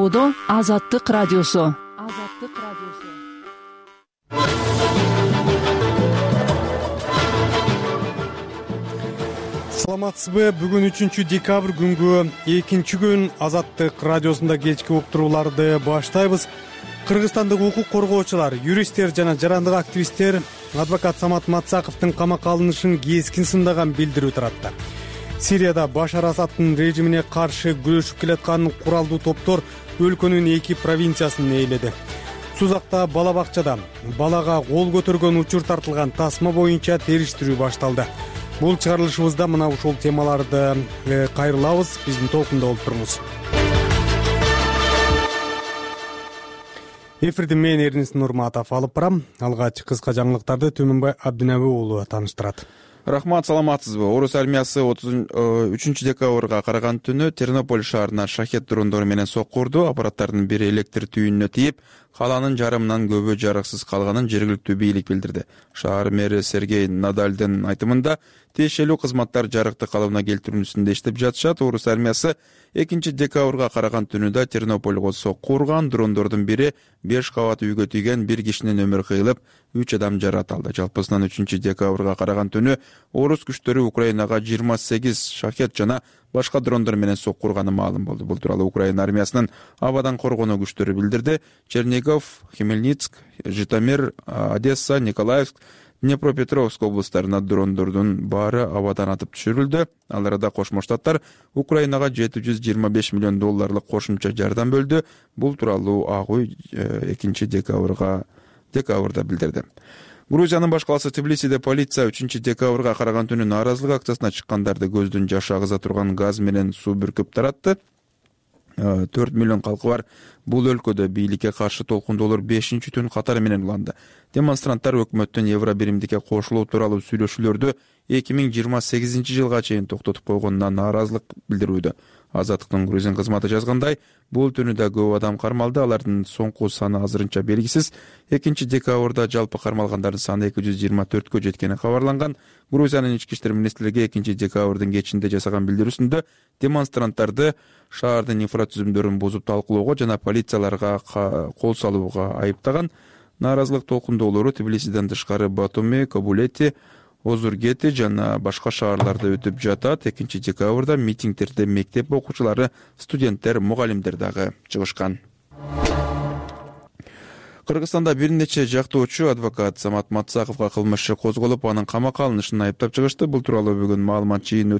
заводу Азаттык радиосу. Саламатсызбы? Бүгүн 3-декабрь күнгү экинчи күн Азаттык радиосунда кечки уктурууларды баштайбыз. Кыргызстандык укук коргоочулар, юристтер жана жарандык активисттер адвокат Самат Матсаковдун камакка алынышын кескин сындаган билдирүү таратты. Сирияда Башар Асаддын режимине каршы күрөшүп келаткан куралдуу топтор өлкөнүн 2 провинциясын ээледи. Сузакта бала бакчада балага кол көтөргөн учур тартылган тасма боюнча териштирүү башталды. Бул чыгарылышыбызда мына ушул темаларды кайрылабыз. Биздин толкунда болуп туруңуз. Эфирди мен Эрнис Нурматов алып барам. Алгач кыска жаңылыктарды Төмөнбай Абдинеби уулу тааныштырат. Рахмат, саламатсызбы? Орус армиясы 3-декабрга караган түнү Тернополь шаарына шахет дрондору менен сокку урду. Аппараттардын бири электр түйүнүнө тийип, калаанын жарымынан көбү жарыксыз калганын жергиликтүү бийлик билдирди. Шаар мэри Сергей Надальдын айтымында, тиешелүү кызматтар жарыкты калыбына келтирүүсүндө иштеп жатышат. Орус армиясы 2-декабрга караган түнүдө Тернопольго сокку урган. Дрондордун бири 5 кабат үйгө тийген, 1 кишинин өмүрү кыйылып, 3 адам жаракат алды. Жалпысынан 3-декабрга караган түнү орус күчтөрү Украинага 28 шахет жана башка дрондор менен сокку урганы маалым болду. Бул тууралуу Украина армиясынын абадан коргонуу күчтөрү билдирди. Чернигов, Хмельницк, Житомир, Одесса, Николаевск, Днепропетровск облустарына дрондордун баары абадан атып түшүрүлдү. Ал арада Кошмо Штаттар Украинага $725 миллион кошумча жардам бөлдү. Бул тууралуу Ак үй 2-декабрда билдирди. Грузиянын баш калаасы Тбилисиде полиция 3-декабрга караган түнү нааразылык акциясына чыккандарды көздүн жашы агыза турган газ менен суу бүркүп таратты. 4 миллион калкы бар бул өлкөдө бийликке каршы толкундоолор 5-чи түн катары менен уланды. Демонстранттар өкмөттүн евро биримдикке кошулуу тууралуу сүйлөшүүлөрдү 2028 жылга чейин токтотуп койгонуна нааразылык билдирүүдө. Азаттыктын грузин кызматы жазгандай, бул түнүдө көп адам кармалды. Алардын соңку саны азырынча белгисиз. 2-декабрда жалпы кармалгандардын саны 224кө жеткени кабарланган. Грузиянын ички иштер министрлиги 2-декабрдын кечинде жасаган билдирүүсүндө демонстранттарды шаардын инфратүзүмдөрүн бузуп талкуулоого жана полицияларга кол салууга айыптаган. Нааразылык толкундоолору Тбилисиден тышкары Батуми, Кабулети, Озургети жана башка шаарларда өтүп жатат. 2-декабрда митингдерде мектеп окуучулары, студенттер, мугалимдер дагы чыгышкан. Кыргызстанда бир нече жактоочу адвокат Самат Матсаковго кылмыш иши козголуп, анын камакка алынышын айыптап чыгышты. Бул тууралуу бүгүн маалымат жыйын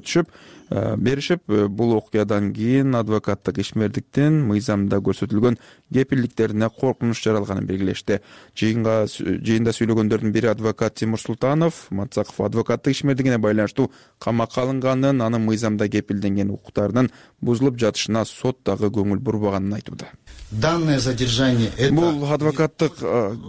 беришип, бул окуядан кийин адвокаттык ишмердиктин мыйзамда көрсөтүлгөн кепилдиктерине коркунуч жаралганын белгилешти. Жыйында сүйлөгөндөрдүн бири адвокат Тимур Султанов Матсаков адвокаттык ишмердигине байланыштуу камакка алынганын, анын мыйзамда кепилденген укуктарынын бузулуп жатышына сот дагы көңүл бурбаганын айтууда. Данное задержание это... Бул адвокаттык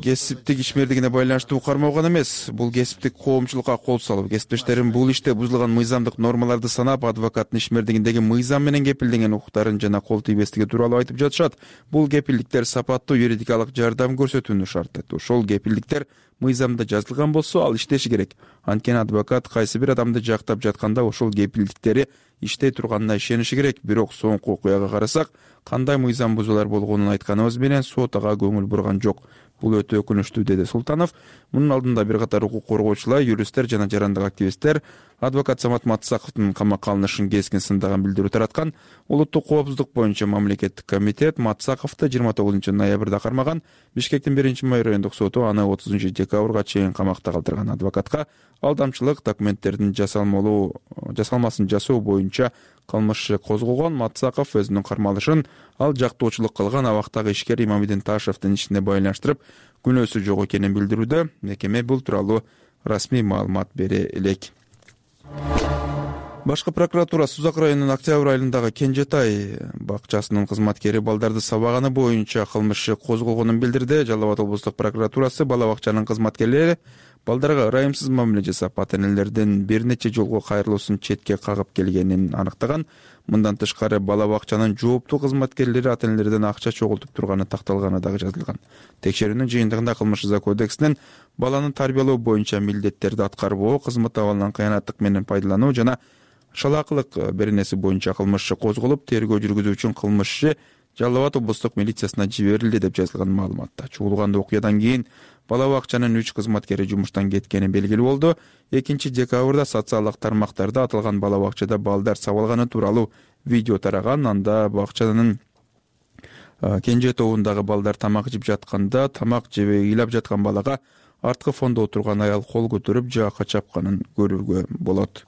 кесиптик ишмердигине байланыштуу кармалган эмес. Бул кесиптик коомчулукка кол салып, кесиптештерин бул иште бузулган мыйзамдык нормаларды санап, адвокаттын ишмердигиндеги мыйзам менен кепилденген укуктарын жана кол тийбестиги тууралуу айтып жатышат. Бул кепилдиктер сапаттуу юридикалык жардам көрсөтүүнү шарт этти. Ошол кепилдиктер мыйзамда жазылган болсо, ал иштеши керек. Анткени адвокат кайсы бир адамды жактап жатканда ошол кепилдиктери иштей турганына ишениши керек. Бирок соңку окуяга карасак, кандай мыйзам бузуулар болгонун айтканыбыз менен сот ага көңүл бурган жок. Бул өтө өкүнүчтүү, деди Султанов. Мунун алдында бир катар укук коргоочулар, юристтер жана жарандык активисттер адвокат Самат Матсаковдун камакка алынышын кескин сындаган билдирүү тараткан. Улуттук коопсуздук боюнча мамлекеттик комитет Матсаковду 29 ноябрда кармаган. Бишкектин 1-май райондук соту аны 30-декабрга чейин камакта калтырган. Адвокатка алдамчылык, документтердин жасалмасын жасоо боюнча кылмыш иши козголгон. Матсаков өзүнүн кармалышын ал жактоочулук кылган абактагы ишкер Имамидин Ташевдин ишине байланыштырып, күнөөсү жок экенин билдирүүдө. Мекеме бул тууралуу расмий маалымат бере элек. Башкы прокуратура Сузак районунун Октябрь айылындагы Кенжетай бакчасынын кызматкери балдарды сабаганы боюнча кылмыш иши козголгонун билдирди. Жалал Абад облустук прокуратурасы бала бакчанын кызматкерлери балдарга ырайымсыз мамиле жасап, ата-энелердин бир нече жолго кайрылуусун четке кагып келгенин аныктаган. Мындан тышкары бала бакчанын жооптуу кызматкерлери ата-энелерден акча чогултуп турганы такталганы дагы жазылган. Текшерүүнүн жыйынтыгында кылмыш жаза кодексинин баланы тарбиялоо боюнча милдеттерди аткарбоо, кызмат абалынан кыянаттык менен пайдалануу жана шалаакылык беренеси боюнча кылмыш иши козголуп, тергөө жүргүзүү үчүн кылмыш иши Жалал Абад облустук милициясына жиберилди деп жазылган маалыматта. Чуулган окуядан кийин бала бакчанын 3 кызматкери жумуштан кеткени белгилүү болду. 2 декабрда социалдык тармактарда аталган бала бакчада балдар сабалганы тууралуу видео тараган. Анда бакчанын кенже тобундагы балдар тамак жеп жатканда тамак жебей ыйлап жаткан балага арткы фондо отурган аял кол көтөрүп жаакка чапканын көрүүгө болот.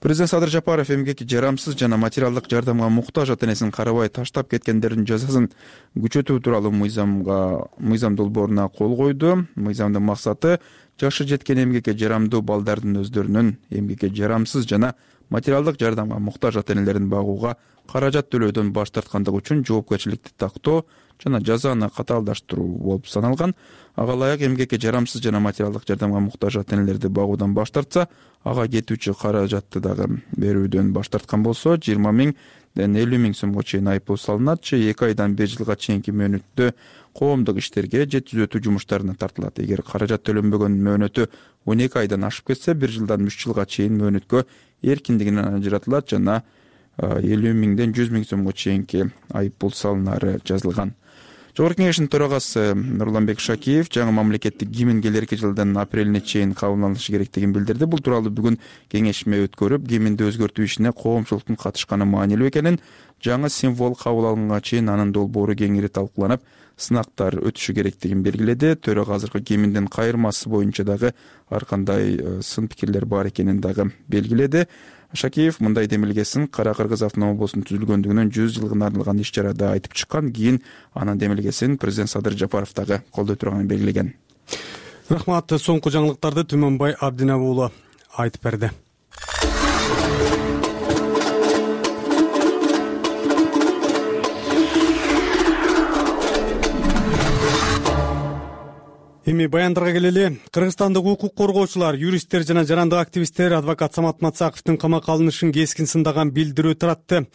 Президент Садыр Жапаров эмгекке жарамсыз жана материалдык жардамга муктаж ата-энесин карабай таштап кеткендердин жазасын күчөтүү тууралуу мыйзам долбооруна кол койду. Мыйзамдын максаты жашы жеткен эмгекке жарамдуу балдардын өздөрүнүн эмгекке жарамсыз жана материалдык жардамга муктаж ата-энелерин багууга каражат төлөөдөн баш тарткандыгы үчүн жоопкерчиликти тактоо жана жазаны катаалдаштыруу болуп саналган. Ага ылайык эмгекке жарамсыз жана материалдык жардамга муктаж ата-энелерди багуудан баш тартса, ага кетүүчү каражатты дагы берүүдөн баш тарткан болсо 20 миңден 50 миң сомго чейин айыппул салынат же 2 айдан 1 жылга чейинки мөөнөттө коомдук иштерге же түзөтүү жумуштарына тартылат. Эгер каражат төлөнбөгөн мөөнөтү 12 айдан ашып кетсе 1 жылдан 3 жылга чейин мөөнөткө эркиндигинен ажыратылат жана 50 миңден 100 миң сомго чейинки айыппул салынары жазылган. Жогорку Кеңештин төрагасы Нурланбек Шакиев жаңы мамлекеттик гимн келерки жылдын апрелине чейин кабылданышы керектигин билдирди. Бул тууралуу бүгүн кеңешме өткөрүп, гимнди өзгөртүү ишине коомчулуктун катышканы маанилүү экенин, жаңы символ кабыл алынганга чейин анын долбоору кеңири талкууланып, сынактар өтүшү керектигин белгиледи. Төрага азыркы гимндин кайырмасы боюнча дагы ар кандай сын пикирлер бар экенин дагы белгиледи. Шакиев мындай демилгесин Кара Кыргыз автономия облусунун түзүлгөндүгүнүн 100 жылдыгына арналган иш-чарада айтып чыккан. Кийин анын демилгесин президент Садыр Жапаров дагы колдой турганын белгилеген. Рахмат. Соңку жаңылыктарды Түмөнбай Абдинабы уулу айтып берди. Эми баяндарга келели. Кыргызстандык укук коргоочулар, юристтер жана жарандык активисттер адвокат Самат Мацаковдун камакка алынышын кескин сындаган билдирүү таратты.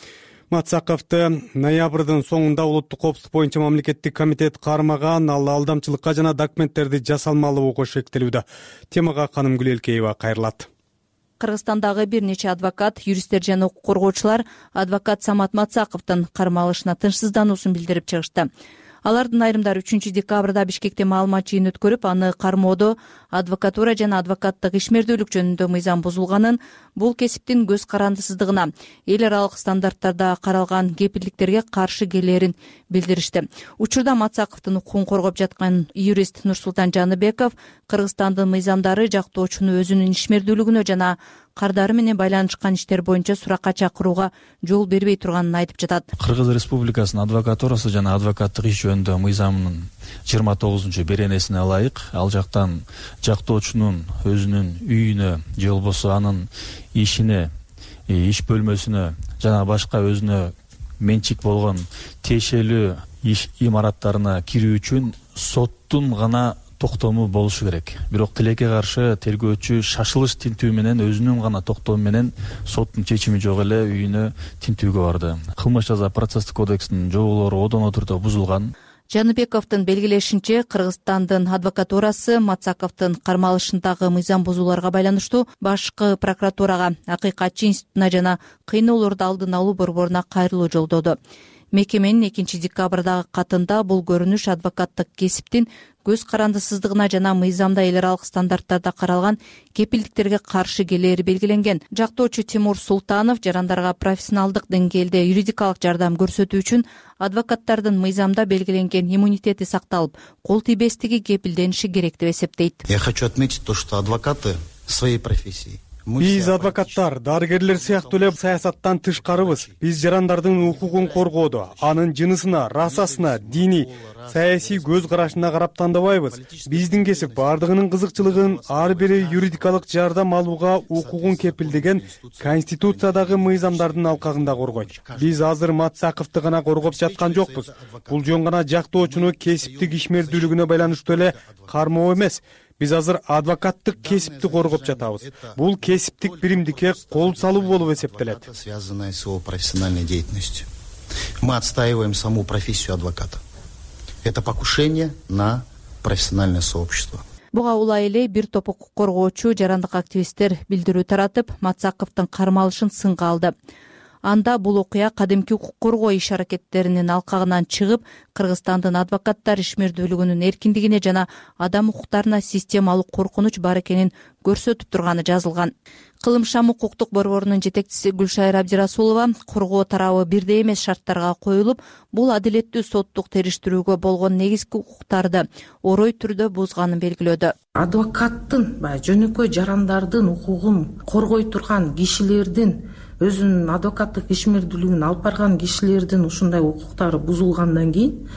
Мацаковду ноябрдын соңунда улуттук коопсуздук боюнча мамлекеттик комитет кармаган, ал алдамчылыкка жана документтерди жасалмалууга шектелүүдө. Темага Каным Гүлелкеева кайрылат. Кыргызстандагы бир нече адвокат, юристтер жана укук коргоочулар адвокат Самат Мацаковдун кармалышына тынчсыздануусун билдирип чыгышты. Алардын айрымдары 3 декабрда Бишкекте маалымат жыйын өткөрүп, аны кармоодо адвокатура жана адвокаттык ишмердүүлүк жөнүндө мыйзам бузулганын, бул кесиптин көз карандысыздыгына, эл аралык стандарттарда каралган кепилдиктерге каршы келерин билдиришти. Учурда Мацаковдун укугун коргоп жаткан юрист Нурсултан Жаныбеков Кыргызстандын мыйзамдары жактоочуну өзүнүн ишмердүүлүгүнө жана кардары менен байланышкан иштер боюнча суракка чакырууга жол бербей турганын айтып жатат. Кыргыз Республикасынын адвокатурасы жана адвокаттык иш жөнүндө мыйзамынын 29-беренесине ылайык ал жактан жактоочунун өзүнүн үйүнө же болбосо анын ишине, иш бөлмөсүнө жана башка өзүнө менчик болгон тиешелүү иш имараттарына кирүү үчүн соттун гана токтому болушу керек. Бирок тилекке каршы тергөөчү шашылыш тинтүү менен өзүнүн гана токтому менен соттун чечими жок эле үйүнө тинтүүгө барды. Кылмыш жаза процесстик кодексинин жоболору одоно түрдө бузулган. Жаныбековдун белгилешинче, Кыргызстандын адвокатурасы Мацаковдун кармалышындагы мыйзам бузууларга байланыштуу башкы прокуратурага, акыйкатчы институтуна жана кыйноолорду алдын алуу борборуна кайрылуу жолдоду. Мекеменин 2 декабрдагы катында бул көрүнүш адвокаттык кесиптин көз карандысыздыгына жана мыйзамда эл аралык стандарттарда каралган кепилдиктерге каршы келери белгиленген. Жактоочу Тимур Султанов жарандарга профессионалдык деңгээлде юридикалык жардам көрсөтүү үчүн адвокаттардын мыйзамда белгиленген иммунитети сакталып, кол тийбестиги кепилдениши керек деп эсептейт. Я хочу отметить то, что адвокаты своей профессии. Биз адвокаттар, дарыгерлер сыяктуу эле саясаттан тышкарыбыз. Биз жарандардын укугун коргоодо, анын жынысына, расасына, дини, саясий көз карашына карап тандабайбыз. Биздин кесип бардыгынын кызыкчылыгын ар бири юридикалык жардам алууга укугун кепилдеген Конституциядагы мыйзамдардын алкагында коргойт. Биз азыр Мацаковду гана коргоп жаткан жокпуз. Бул жөн гана жактоочуну кесиптик ишмердүүлүгүнө байланыштуу эле кармоо эмес. Биз азыр адвокаттык кесипти коргоп жатабыз. Бул кесиптик биримдикке кол салуу болуп эсептелет. Связанная с его профессиональной деятельностью. Мы отстаиваем саму профессию адвоката. Это покушение на профессиональное сообщество. Буга улай эле бир топ укук коргоочу, жарандык активисттер билдирүү таратып, Мацаковдун кармалышын сынга алды. Анда бул окуя кадимки укук коргоо иш аракеттеринин алкагынан чыгып, Кыргызстандын адвокаттар ишмердүүлүгүнүн эркиндигине жана адам укуктарына системалык коркунуч бар экенин көрсөтүп турганы жазылган. Кылымшам укуктук борборунун жетекчиси Гүлшайыр Абдирасулова коргоо тарабы бирдей эмес шарттарга коюлуп, бул адилеттүү соттук териштирүүгө болгон негизги укуктарды орой түрдө бузганын белгилөөдө. Адвокаттын жөнөкөй жарандардын укугун коргой турган кишилердин, өзүнүн адвокаттык ишмердүүлүгүн алып барган кишилердин ушундай укуктары бузулгандан кийин,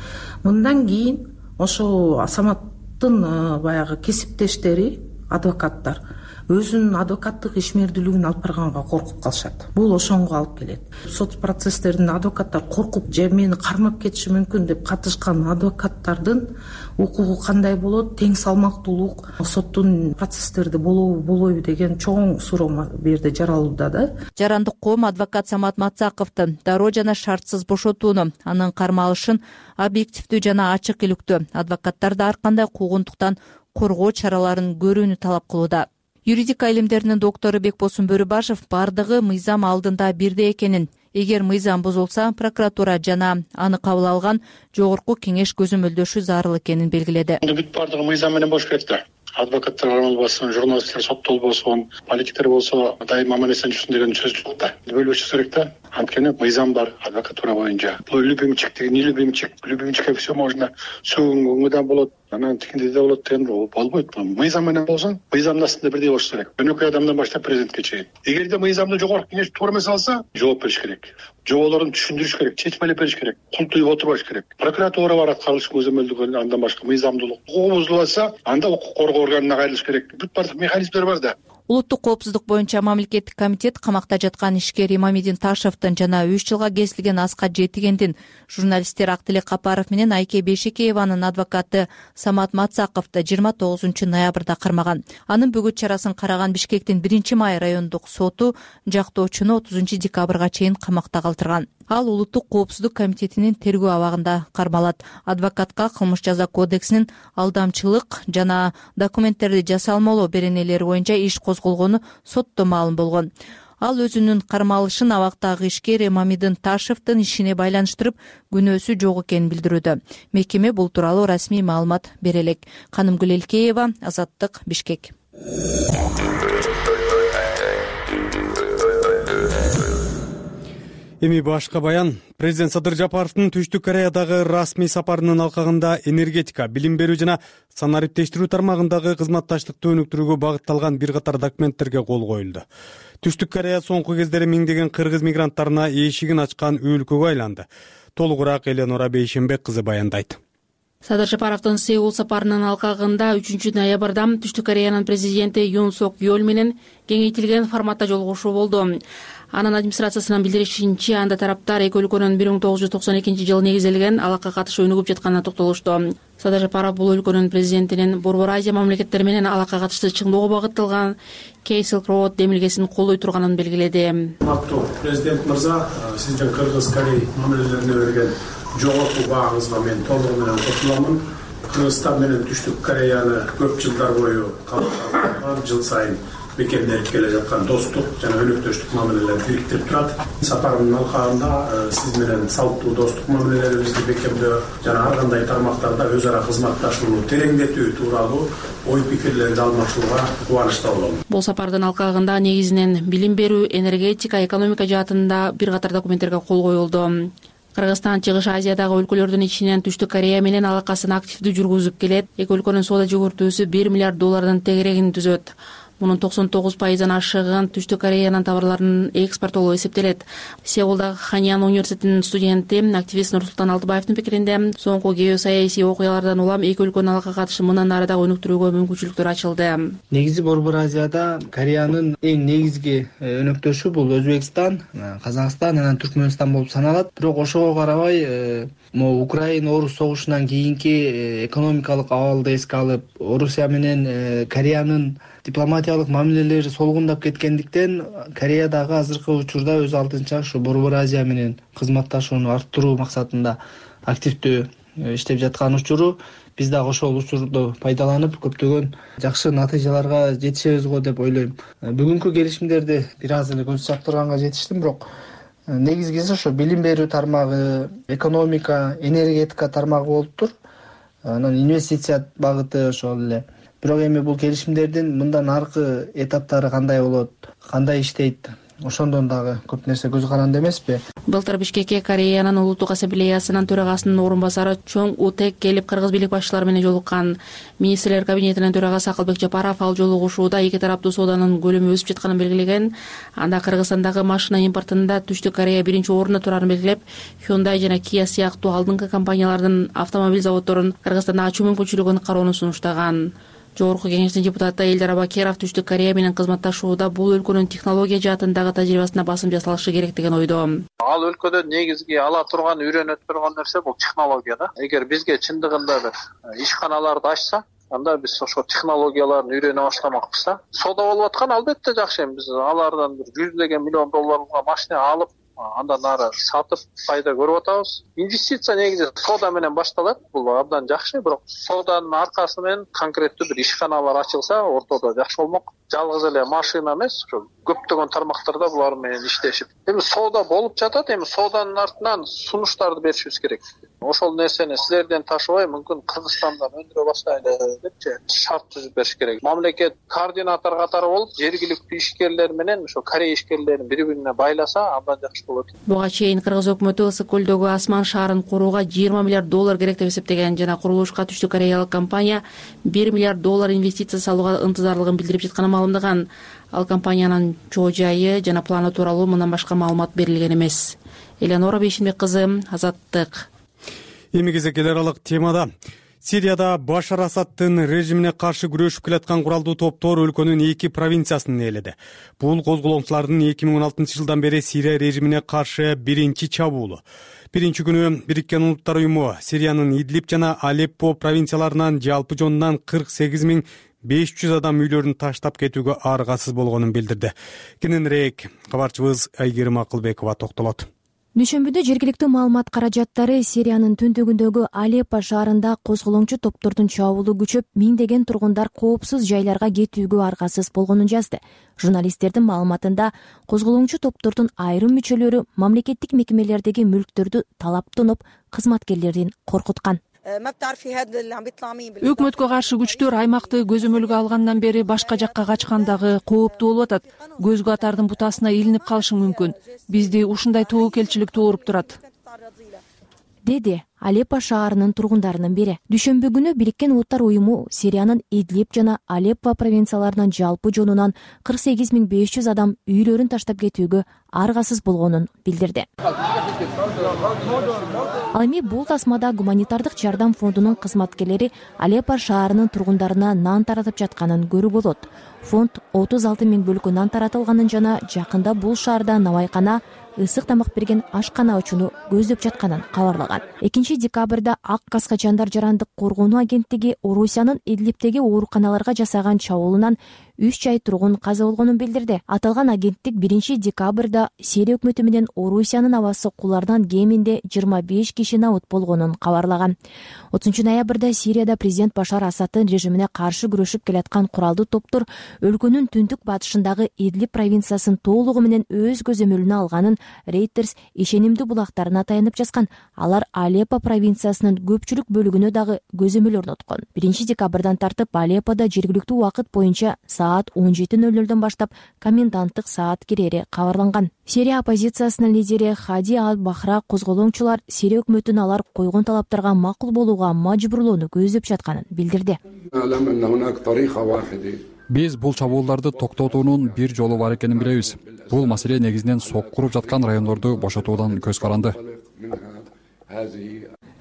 мындан кийин ошо Саматтын баягы кесиптештери, адвокаттар өзүнүн адвокаттык ишмердүүлүгүн алып барганга коркуп калышат. Бул ошонго алып келет. Сот процесстеринде адвокаттар коркуп, же мени кармап кетиши мүмкүн деп катышкан адвокаттардын укугу кандай болот, тең салмактуулук соттун процесстерде болобу, болбойбу деген чоң суроо бу жерде жаралууда да. Жарандык коом адвокат Самат Мацаковду дароо жана шартсыз бошотууну, анын кармалышын объективдүү жана ачык иликтүү, адвокаттарды ар кандай куугунтуктан коргоо чараларын көрүүнү талап кылууда. Юридика илимдеринин доктору Бекбосун Бөрүбашев бардыгы мыйзам алдында бирдей экенин, эгер мыйзам бузулса, прокуратура жана аны кабыл алган жогорку кеңеш көзөмөлдөшү зарыл экенин белгиледи. Бүт бардыгы мыйзам менен болуш керек да. Адвокаттар болбосун, журналисттер сотто болбосун, политиктер болсо дайыма аман-эсен жүрсүн деген сөз жок да. Бөлбөшүш керек да. Анткени мыйзам бар адвокатура боюнча. Бул любимчик деген, не любимчик, любимчикке все можно. Сөгүнгөндөн болот, анан тигинде да болот деген болбойт. Мыйзам менен болсун, мыйзамдын астында бирдей болуш керек. Жөнөкөй адамдан баштап президентке чейин. Эгерде мыйзамды жогорку кеңеш туура эмес алса, жооп бериш керек. Жоолорун түшүндүрүш керек, чечмелеп бериш керек, култуюп отурбаш керек. Прокуратура бар аткарылыш көзөмөлдөгөн, андан башка мыйзамдуулук укугу бузулса, анда укук коргоо органына кайрылыш керек. Бүт бардык механизмдер бар да. Улуттук коопсуздук боюнча мамлекеттик комитет камакта жаткан ишкер Имамидин Ташевдин жана 3 жылга кесилген Аскат Жетигендин, журналисттер Актилек Капаров менен Айке Бешекееванын адвокаты Самат Мацаковду 29-ноябрда кармаган. Анын бөгөт чарасын караган Бишкектин 1-май райондук соту жактоочуну 30-декабрга чейин камакта калтырган. Ал Улуттук коопсуздук комитетинин тергөө абагында кармалат. Адвокатка кылмыш жаза кодексинин алдамчылык жана документтерди жасалмалоо беренелери боюнча иш козголгону сотто маалым болгон. Ал өзүнүн кармалышын абактагы ишкер Имамидин Ташевдин ишине байланыштырып, күнөөсү жок экенин билдирүүдө. Мекеме бул тууралуу расмий маалымат бере элек. Канымгүл Элкеева, Азаттык, Бишкек. Эми башка баян. Президент Садыр Жапаровдун Түштүк Кореядагы расмий сапарынын алкагында энергетика, билим берүү жана санариптештирүү тармагындагы кызматташтыкты өнүктүрүүгө багытталган бир катар документтерге кол коюлду. Түштүк Корея соңку кездери миңдеген кыргыз мигранттарына эшигин ачкан өлкөгө айланды. Толугураак Эленора Бейшенбек кызы баяндайт. Садыр Жапаровдун Сеул сапарынын алкагында 3-ноябрда Түштүк Кореянын президенти Юн Сок Йол менен кеңейтилген форматта жолугушуу болду. Анын администрациясынын билдиришинче, анда тараптар эки өлкөнүн 1992-жылы негизделген алакка катышы өнүгүп жатканына токтолушту. Садыр Жапаров бул өлкөнүн президентинин Борбор Азия мамлекеттери менен алакка катышты чыңдоого багытталган Кейсел Роуд демилгесин колдой турганын белгиледи. Президент мырза, сиздин Кыргыз-Корей мамилелерине берген жогорку баагыңызга мен толугу менен кошуламын. Кыргызстан менен Түштүк Кореяны көп жылдар бою калыптанган, жыл сайын бекемденип келе жаткан достук жана өнөктөштүк мамилелер бириктирип турат. Сапарымдын алкагында сиз менен салттуу достук мамилелерибизди бекемдөө жана ар кандай тармактарда өз ара кызматташууну тереңдетүү тууралуу ой пикирлерди алмашууга кубанычта болом. Бул сапардын алкагында негизинен билим берүү, энергетика, экономика жаатында бир катар документтерге кол коюлду. Кыргызстан Чыгыш Азиядагы өлкөлөрдүн ичинен Түштүк Корея менен алакасын активдүү жүргүзүп келет. Эки өлкөнүн соода жүгүртүүсү 1 миллиард доллардын тегерегин түзөт. Мунун 99%-дан ашыгын Түштүк Кореянын товарларынын экспортолу эсептелет. Сеулдагы Ханьян университетинин студенти, активист Нурсултан Алтыбаевдин пикиринде, соңку геосаясий окуялардан улам эки өлкөнүн алакка катышы мындан ары дагы өнүктүрүүгө мүмкүнчүлүктөр ачылды. Негизи Борбор Азияда Кореянын эң негизги өнөктөшү бул Өзбекстан, Казакстан, анан Түркмөнстан болуп саналат. Бирок ошого карабай, Украина-Орус согушунан кийинки экономикалык абалды эске алып, Орусия менен Кореянын дипломатиялык мамилелери солгундап кеткендиктен, Корея дагы азыркы учурда өз алдынча ушу Борбор Азия менен кызматташууну арттыруу максатында активдүү иштеп жаткан учуру. Биз дагы ошол учурду пайдаланып көптөгөн жакшы натыйжаларга жетишебиз го деп ойлойм. Бүгүнкү келишимдерди бир аз эле көз чаптырганга жетиштим, бирок негизгиси ошо билим берүү тармагы, экономика, энергетика тармагы болуптур. Анан инвестиция багыты ошол эле. Бирок эми бул келишимдердин мындан аркы этаптары кандай болот, кандай иштейт, ошондон дагы көп нерсе көз каранды эмеспи. Былтыр Бишкекке Кореянын улуттук ассамблеясынын төрагасынын орун басары Чоң Утек келип кыргыз бийлик башчылары менен жолуккан. Министрлер кабинетинин төрагасы Акылбек Жапаров ал жолугушууда эки тараптуу сооданын көлөмү өсүп жатканын белгилеген. Анда Кыргызстандагы машина импортунда Түштүк Корея биринчи орунда турарын белгилеп, Hyundai жана Kia сыяктуу алдыңкы компаниялардын автомобиль заводдорун Кыргызстанда ачуу мүмкүнчүлүгүн кароону сунуштаган. Жогорку кеңештин депутаты Элдар Абакеров Түштүк Корея менен кызматташууда бул өлкөнүн технология жаатындагы тажрыйбасына басым жасалышы керек деген ойдо. Ал өлкөдө негизги ала турган, үйрөнө турган нерсе бул технология да. Эгер бизге чындыгында бир ишканаларды ачса, анда биз ошо технологияларды үйрөнө баштамакпыз да. Соода болуп аткан албетте жакшы. Биз алардан бир $100 миллион машина алып, андан ары сатып пайда көрүп атабыз. Инвестиция негизи соода менен башталат. Бул абдан жакшы, бирок сооданын аркасы менен конкреттүү бир ишканалар ачылса, ортодо жакшы болмок. Жалгыз эле машина эмес, көптөгөн тармактарда булар менен иштешип. Эми соода болуп жатат, эми сооданын артынан сунуштарды беришибиз керек. Ошол нерсени силерден ташыбай, мүмкүн Кыргызстандан өндүрө баштайлы депчи шарт түзүп бериш керек. Мамлекет координатор катары болуп, жергиликтүү ишкерлер менен ошо Корея ишкерлерин бири-бирине байласа, абдан жакшы болот. Буга чейин Кыргыз өкмөтү Ысык көлдөгү Асман шаарын курууга $20 миллиард керек деп эсептеген жана курулушка Түштүк Кореялык компания $1 миллиард инвестиция салууга ынтызарлыгын билдирип жатканын маалымдаган. Ал компаниянын чоо жайы жана планы тууралуу мындан башка маалымат берилген эмес. Элеонора Бейшинбек кызы, Азаттык. Эми кезек эл аралык темада. Сирияда Башар Асадтын режимине каршы күрөшүп келаткан куралдуу топтор өлкөнүн 2 провинциясын ээледи. Бул козголоңчулардын 2016 жылдан бери Сирия режимине каршы биринчи чабуулу. Биринчи күнү Бириккен Улуттар уюму Сириянын Идлиб жана Алеппо провинцияларынан жалпы жонунан 48.500 адам үйлөрүн таштап кетүүгө аргасыз болгонун билдирди. Кененирээк кабарчыбыз Айгерим Акылбекова токтолот. Дүйшөмбүдө жергиликтүү маалымат каражаттары Сириянын түндүгүндөгү Алеппо шаарында козголоңчу топтордун чабуулу күчөп, миңдеген тургундар коопсуз жайларга кетүүгө аргасыз болгонун жазды. Журналисттердин маалыматында козголоңчу топтордун айрым мүчөлөрү мамлекеттик мекемелердеги мүлктөрдү талаптанып, кызматкерлерин коркуткан. Өкмөткө каршы күчтөр аймакты көзөмөлгө алгандан бери башка жакка качкандагы кооптуу болуп атат. Көз катардын бутасына илинип калышы мүмкүн. Бизди ушундай тобокелчилик тууруп турат, деди Алеппо шаарынын тургундарынын бири. Дүйшөмбү күнү Бириккен Улуттар уюму Сириянын Идлиб жана Алеппо провинцияларынын жалпы жонунан 48.500 адам үйлөрүн таштап кетүүгө аргасыз болгонун билдирди. Ал эми бул тасмада гуманитардык жардам фондунун кызматкерлери Алеппо шаарынын тургундарына нан таратып жатканын көрүүгө болот. Фонд 36.000 бөлкө нан таратылганын жана жакында бул шаарда навайкана, ысык тамак берген ашкана ачууну көздөп жатканын кабарлаган. 2-декабрда Ак Каскачандар жарандык коргонуу агенттиги Орусиянын Идлибтеги ооруканаларга жасаган чабуулунан 3 жай тургун каза болгонун билдирди. Аталган агенттик 1-декабрда Сирия өкмөтү менен Орусиянын абасы куларынан кеминде 25 киши набыт болгонун кабарлаган. 30-ноябрда Сирияда президент Башар Асадтын режимине каршы күрөшүп келаткан куралдуу топтор өлкөнүн түндүк батышындагы Идлиб провинциясын толугу менен өз көзөмөлүнө алганын Reuters ишенимдүү булактарына таянып жазган. Алар Алеппо провинциясынын көпчүлүк бөлүгүнө дагы көзөмөл орноткон. 1-декабрдан тартып Алепподо жергиликтүү убакыт боюнча саат 17:00 баштап коменданттык саат кирери кабарланган. Сирия оппозициясынын лидери Хади Ал-Бахра козголоңчулар Сирия өкмөтүн алар койгон талаптарга макул болууга мажбурлоону көздөп жатканын билдирди. Биз бул чабуулдарды токтотуунун бир жолу бар экенин билебиз. Бул маселе негизинен сок куруп жаткан райондорду бошотуудан көз каранды.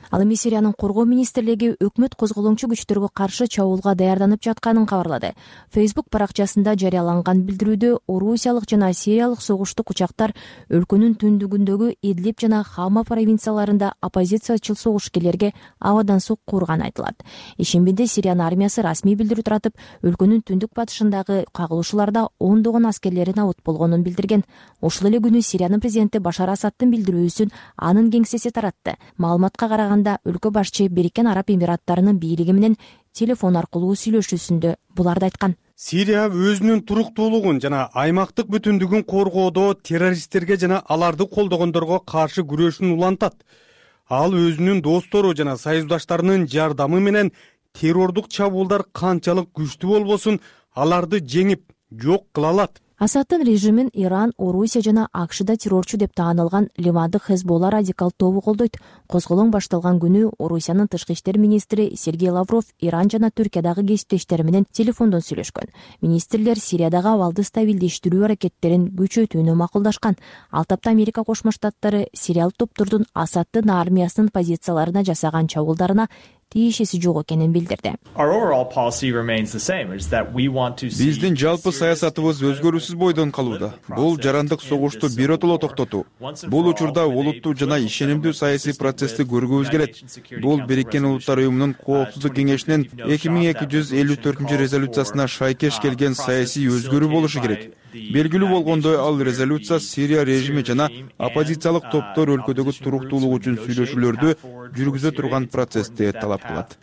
Ал эми Сириянын коргоо министрлиги өкмөт козголоңчу күчтөргө каршы чабуулга даярданып жатканын кабарлады. Facebook баракчасында жарыяланган билдирүүдө Орусиялык жана Сириялык согуштук учактар өлкөнүн түндүгүндөгү Идлиб жана Хама провинцияларында оппозициячыл согушкерлерге абадан сокку урганы айтылат. Ишембиде Сириянын армиясы расмий билдирүү таратып, өлкөнүн түндүк батышындагы кагылышууларда ондогон аскерлери набыт болгонун билдирген. Ошол эле күнү Сириянын президенти Башар Асадтын билдирүүсүн анын кеңсеси таратты. Маалыматка караганда өлкө башчы Бириккен Араб Эмираттарынын бийлиги менен телефон аркылуу сүйлөшүүсүндө буларды айткан. Сирия өзүнүн туруктуулугун жана аймактык бүтүндүгүн коргоодо террористтерге жана аларды колдогондорго каршы күрөшүн улантат. Ал өзүнүн достору жана союздаштарынын жардамы менен террордук чабуулдар канчалык күчтүү болбосун аларды жеңип, жок кыла алат. Асаддын режимин Иран, Орусия жана АКШда террорчу деп таанылган Ливандык Хезболла радикал тобу колдойт. Козголоң башталган күнү Орусиянын тышкы иштер министри Сергей Лавров Иран жана Түркиядагы кесиптештери менен телефондон сүйлөшкөн. Министрлер Сириядагы абалды стабилдештирүү аракеттерин күчөтүүнү макулдашкан. Ал тапта Америка Кошмо Штаттары сириялык топтордун Асаддын армиясынын позицияларына жасаган чабуулдарына тиешеси жок экенин билдирди. Биздин жалпы саясатыбыз өзгөрүүсүз бойдон калууда. Бул жарандык согушту биротоло токтотуу. Бул учурда олуттуу жана ишенимдүү саясий процессти көргүбүз келет. Бул Бириккен Улуттар Уюмунун Коопсуздук кеңешинин 2254 резолюциясына шайкеш келген саясий өзгөрүү болушу керек. Белгилүү болгондой, ал резолюция Сирия режими жана оппозициялык топтор өлкөдөгү туруктуулук үчүн сүйлөшүүлөрдү жүргүзө турган процессти талап кылат,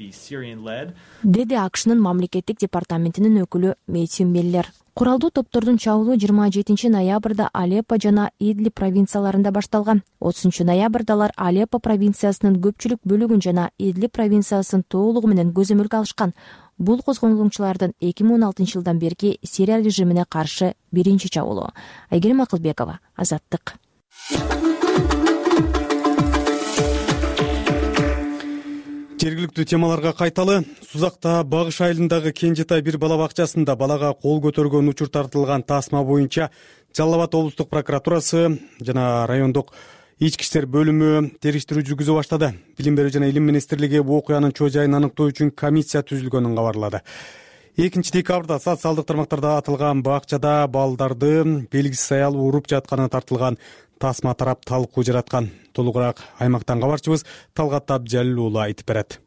деди АКШнын мамлекеттик департаментинин өкүлү Мэттью Миллер. Куралдуу топтордун чабуулу 27 ноябрда Алеппо жана Идлиб провинцияларында башталган. 30 ноябрда алар Алеппо провинциясынын көпчүлүк бөлүгүн жана Идлиб провинциясын толугу менен көзөмөлгө алышкан. Бул козголгончулардын 2016 жылдан берки Сирия режимине каршы биринчи чабуулу. Айгерим Акылбекова, Азаттык. Жергиликтүү темаларга кайталы. Сузакта Багыш айылындагы Кенжетай бир бала бакчасында балага кол көтөргөн учур тартылган тасма боюнча Жалал Абад облустук прокуратурасы жана райондук ички иштер бөлүмү териштирүү жүргүзө баштады. Билим берүү жана илим министрлиги бул окуянын чоо жайын аныктоо үчүн комиссия түзүлгөнүн кабарлады. 2 декабрда социалдык тармактарда атылган бакчада балдарды белгисиз аял уруп жатканы тартылган тасма тарап талкуу жараткан. Толугураак аймактан кабарчыбыз Талгат Абджалил уулу айтып берет.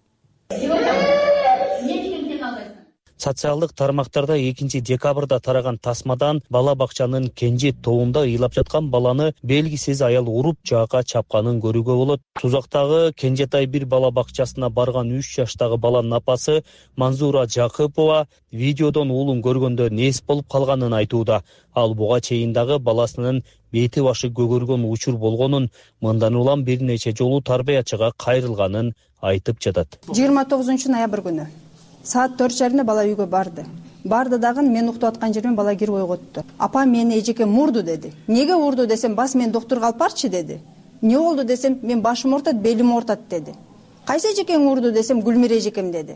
Социалдык тармактарда 2 декабрда тараган тасмадан бала бакчанын Кенжи тоонда ыйлап жаткан баланы белгисиз аял уруп жаакка чапканын көрүүгө болот. Сузактагы Кенжетай бир бала бакчасына барган 3 жаштагы баланын апасы Манзура Жакыпова видеодон уулун көргөндө нес болуп калганын айтууда. Ал буга чейин дагы баласынын бети башы көгөргөн учур болгонун, мындан улам бир нече жолу тарбиячыга кайрылганын айтып жатат. 29 ноябрь күнү саат 4:30 бала үйгө барды дагы мен уктап аткан жерден бала кирип ойготту. Апа мени эжекем урду деди. Неге урду десем, бас мен доктурга алып барчы деди. Не болду десем, мен башым ортот, белим ортот деди. Кайсы эжекең урду десем, Гүлмир эжекем деди.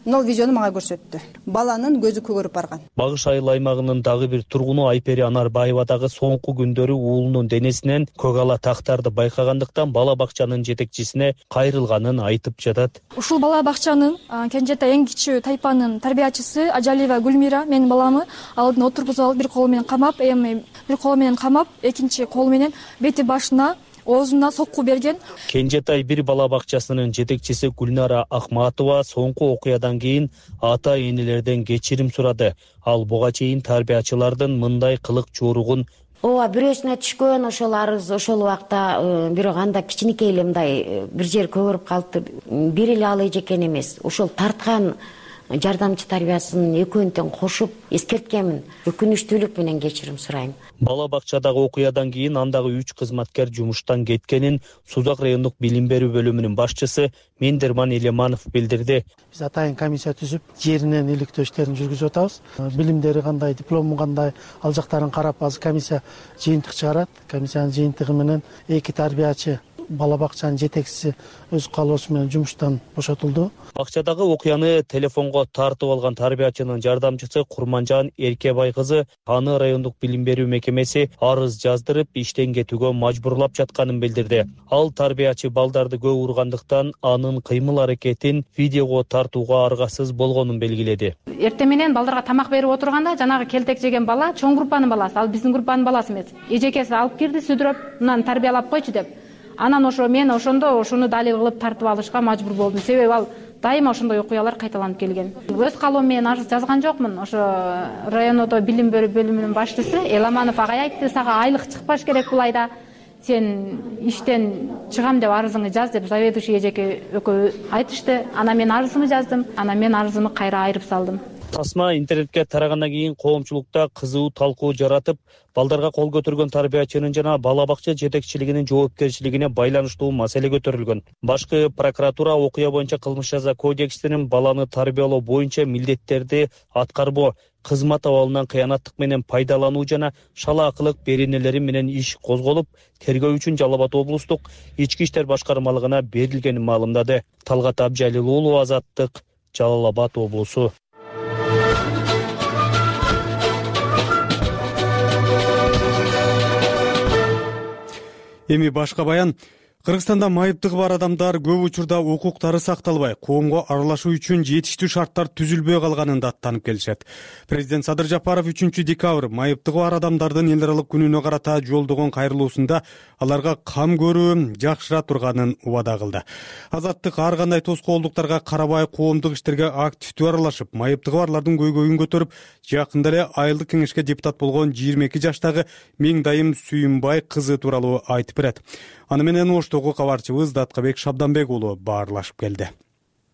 Мына видеону мага көрсөттү. Баланын көзү көгөрүп барган. Багыш айыл аймагынын дагы бир тургуну Айпери Анарбаева дагы соңку күндөрү уулунун денесинен көк ала тактарды байкагандыктан бала бакчанын жетекчисине кайрылганын айтып жатат. Ушул бала бакчанын Кенжетай эң кичүү тайпанын тарбиячысы Ажалиева Гүлмира менин баламы алдын отургузуп алып бир колу менен камап, экинчи колу менен бети башына оозуна сокку берген. Кенжетай бир бала бакчасынын жетекчиси Гүлнара Акматова соңку окуядан кийин ата энелерден кечирим сурады. Ал буга чейин тарбиячылардын мындай кылык жууругун ооба бирөөсүнө түшкөн ошол арыз ошол убакта бирок анда кичинекей эле мындай бир жер көгөрүп калыптыр. Бир эле ал эжекен эмес, ошол тарткан жардамчы тарбиясын экөөнү тең кошуп эскерткенмин. Өкүнүчтүүлүк менен кечирим сурайм. Бала бакчадагы окуядан кийин андагы 3 кызматкер жумуштан кеткенин Сузак райондук билим берүү бөлүмүнүн башчысы Мендерман Элеманов билдирди. Биз атайын комиссия түзүп, жеринен иликтөө иштерин жүргүзүп атабыз. Билимдери кандай, диплому кандай, ал жактарын карап азыр комиссия жыйынтык чыгарат. Комиссиянын жыйынтыгы менен 2 тарбиячы бала бакчанын жетекчиси өз каалоосу менен жумуштан бошотулду. Бакчадагы окуяны телефонго тартып алган тарбиячынын жардамчысы Курманжан Эркебай кызы аны райондук билим берүү мекемеси арыз жаздырып иштен кетүүгө мажбурлап жатканын билдирди. Ал тарбиячы балдарды көп ургандыктан анын кыймыл аракетин видеого тартууга аргасыз болгонун белгиледи. Эртең менен балдарга тамак берип отурганда жанагы келтек жеген бала чоң группанын баласы, ал биздин группанын баласы эмес. Эжекеси алып кирди сүдүрөп, мынаны тарбиялап койчу деп. Анан мен ошондо ошону далил кылып тартып алышка мажбур болдум. Себеби ал дайыма ошондой окуялар кайталанып келген. Өз каалоом менен арыз жазган жокмун. Ошо райондо билим берүү бөлүмүнүн башчысы Эламанов агай айтты, сага айлык чыкпаш керек бул айда. Сен иштен чыгам деп арызыңды жаз деп заведующий эжеке экөө айтышты. Анан мен арызымды жаздым. Анан мен арызымды кайра айырып салдым. Тасма интернетке тарагандан кийин коомчулукта кызуу талкуу жаратып, балдарга кол көтөргөн тарбиячынын жана бала бакча жетекчилигинин жоопкерчилигине байланыштуу маселе көтөрүлгөн. Башкы прокуратура окуя боюнча кылмыш жаза кодексинин баланы тарбиялоо боюнча милдеттерди аткарбоо, кызмат абалынан кыянаттык менен пайдалануу жана шалаакылык беренелери менен иш козголуп, тергөө үчүн Жалал Абад облустук ички иштер башкармалыгына берилгенин маалымдады. Талгат Абжалил уулу, Азаттык, Жалал Абад облусу. Эми башка баян. Кыргызстанда майыптыгы бар адамдар көп учурда укуктары сакталбай, коомго аралашуу үчүн жетиштүү шарттар түзүлбөй калганын даттанып келишет. Президент Садыр Жапаров 3 декабрь майыптыгы бар адамдардын эл аралык күнүнө карата жолдогон кайрылуусунда аларга кам көрүү жакшыра турганын убада кылды. Азаттык ар кандай тоскоолдуктарга карабай коомдук иштерге активдүү аралашып, майыптыгы барлардын көйгөйүн көтөрүп, жакында эле айылдык кеңешке депутат болгон 22 жаштагы Меңдайым Сүйүнбай кызы тууралуу айтып берет. Аны менен Оштогу кабарчыбыз Даткабек Шабданбек уулу баарлашып келди.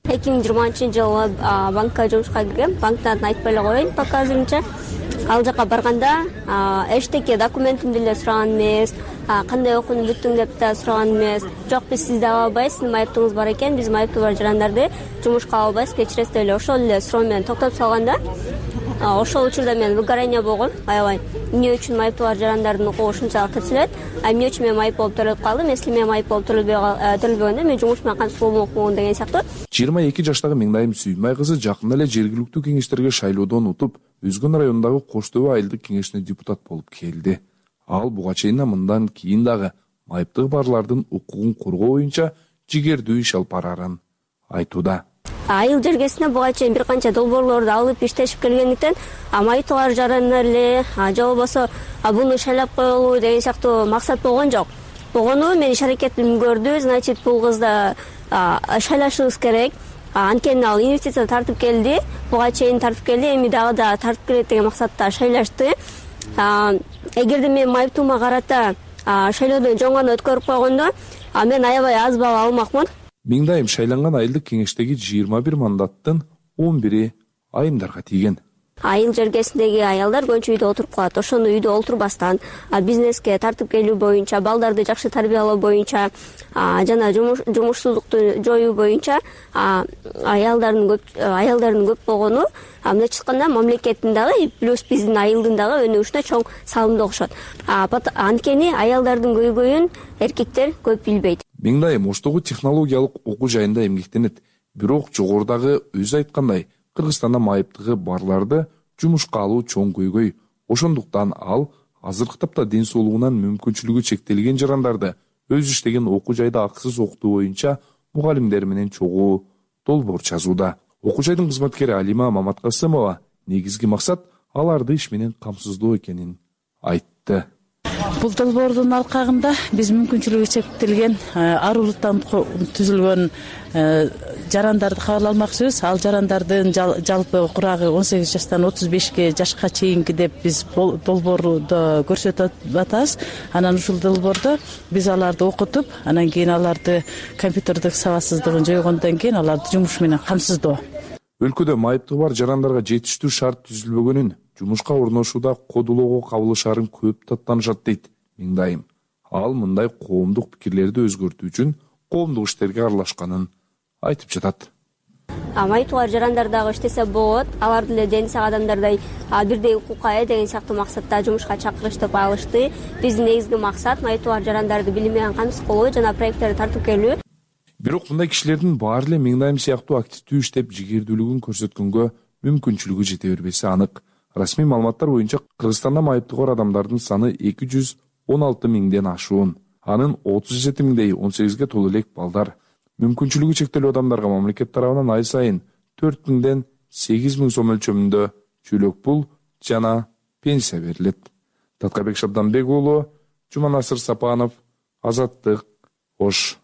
2020-жылы банкка жумушка киргем. Банктан айтпай эле коеюн, пока азырынча. Ал жака барганда эчтеке документимди эле сураган эмес, кандай окууну бүттүң деп да сураган эмес. Жок, биз сизди ала албайбыз, сиздин майыптыгыңыз бар экен, биз майыптыгы бар жарандарды жумушка ала албайбыз, кечиресиз деп эле ошол эле суроо менен токтотуп салганда, ошол учурда мен выгорание болгом. Аябай эмне үчүн майыптыгы бар жарандардын укугу ушунчалык тирселет, эмне үчүн мен майып болуп төрөлүп калдым, если мен майып болуп төрөлбөгөндө мен жумуш менен кантип болмокмун деген сыяктуу. 22 жаштагы Меңдайым Сүйүнбай кызы жакында эле жергиликтүү кеңештерге шайлоодон утуп, Үзгөн районундагы Кош Төбө айылдык кеңешине депутат болуп келди. Ал буга чейин мындан кийин дагы майыптыгы барлардын укугун коргоо боюнча жигердүү иш алып барарын айтууда. Айыл жергесине буга чейин бир канча долбоорлорду алып иштешип келгендиктен, майыптыгы бар жарандар эле же болбосо буну шайлап коелу деген сыяктуу максат болгон жок. Болгону мен иш аракетимди көрдү, значит бул кызды шайлашыбыз керек. Анткени ал инвестиция тартып келди, буга чейин тартып келди, эми дагы да тартып келет деген максатта шайлашты. Эгерде мен майыптыгыма карата шайлоодон жөн гана өткөрүп койгондо, мен аябай аз балл алмакмын. Меңдайым шайланган айылдык кеңештеги 21 мандаттын 11-и айымдарга тийген. Айыл жергесиндеги аялдар көбүнчө үйдө отуруп калат. Ошону үйдө отурбастан бизнеске тартып келүү боюнча, балдарды жакшы тарбиялоо боюнча жана жумушсуздукту жоюу боюнча аялдардын көп болгону мындайча айтканда мамлекеттин дагы плюс биздин айылдын дагы өнүгүшүнө чоң салымды кошот. Анткени аялдардын көйгөйүн эркектер көп билбейт. Меңдайым Оштогу технологиялык окуу жайында эмгектенет. Бирок жогорудагы өзү айткандай, Кыргызстанда майыптыгы барларды жумушка алуу чоң көйгөй. Ошондуктан ал азыркы тапта ден соолугунан мүмкүнчүлүгү чектелген жарандарды өз иштеген окуу жайда акысыз окутуу боюнча мугалимдер менен чогуу долбоор жазууда. Окуу жайдын кызматкери Алима Маматкасымова негизги максат аларды иш менен камсыздоо экенин айтты. Бул долбоордун алкагында биз мүмкүнчүлүгү чектелген арулуктан түзүлгөн жарандарды кабыл алмакчыбыз. Ал жарандардын жалпы курагы 18 жаштан 35 жашка чейинки деп биз долбоордо көрсөтүп атабыз. Анан ушул долбоордо биз аларды окутуп, анан кийин аларды компьютердик сабатсыздыгын жойгондон кийин аларды жумуш менен камсыздоо. Өлкөдө майыптыгы бар жарандарга жетиштүү шарт түзүлбөгөнүн, жумушка орношууда кодулоого кабылышарын көп таттанышат дейт Меңдайым. Ал мындай коомдук пикирлерди өзгөртүү үчүн коомдук иштерге аралашканын айтып жатат. Майыптыгы бар жарандар дагы иштесе болот. Алар деле дени сак адамдардай бирдей укукка ээ деген сыяктуу максатта жумушка чакырыштып алышты. Биздин негизги максат майыптыгы бар жарандарды билим менен камсыз кылуу жана проекттерди тартып келүү. Бирок мындай кишилердин баары эле Меңдайым сыяктуу активдүү иштеп жигердүүлүгүн көрсөткөнгө мүмкүнчүлүгү жете бербеси анык. Расмий маалыматтар боюнча Кыргызстанда майыптыгы бар адамдардын саны 216 миңден ашуун. Анын 37 миңдей 18ге толуу элек балдар. Мүмкүнчүлүгү чектелүү адамдарга мамлекет тарабынан ай сайын 4 миңден 8 миң сом өлчөмүндө чөлөк пул жана пенсия берилет. Таткабек Шабданбек уулу, Жуманасыр Сапанов, Азаттык, Ош.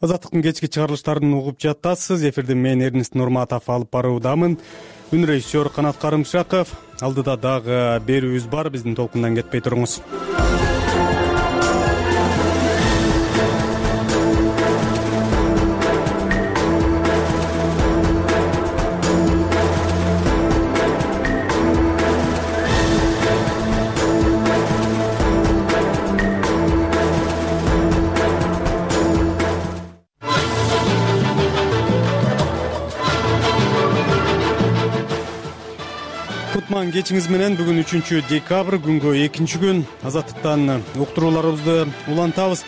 Азаттыктын кечки чыгарылыштарын угуп жатасыз. Эфирди мен Эрнест Нурматов алып баруудамын. Үн режиссер Канат Карымшаков. Алдыда дагы берүүбүз бар, биздин толкундан кетпей туруңуз. кутман кечиңиз менен. Бүгүн 3 декабрь күнгө 2 азаттыктан уктурууларыбызды улантабыз.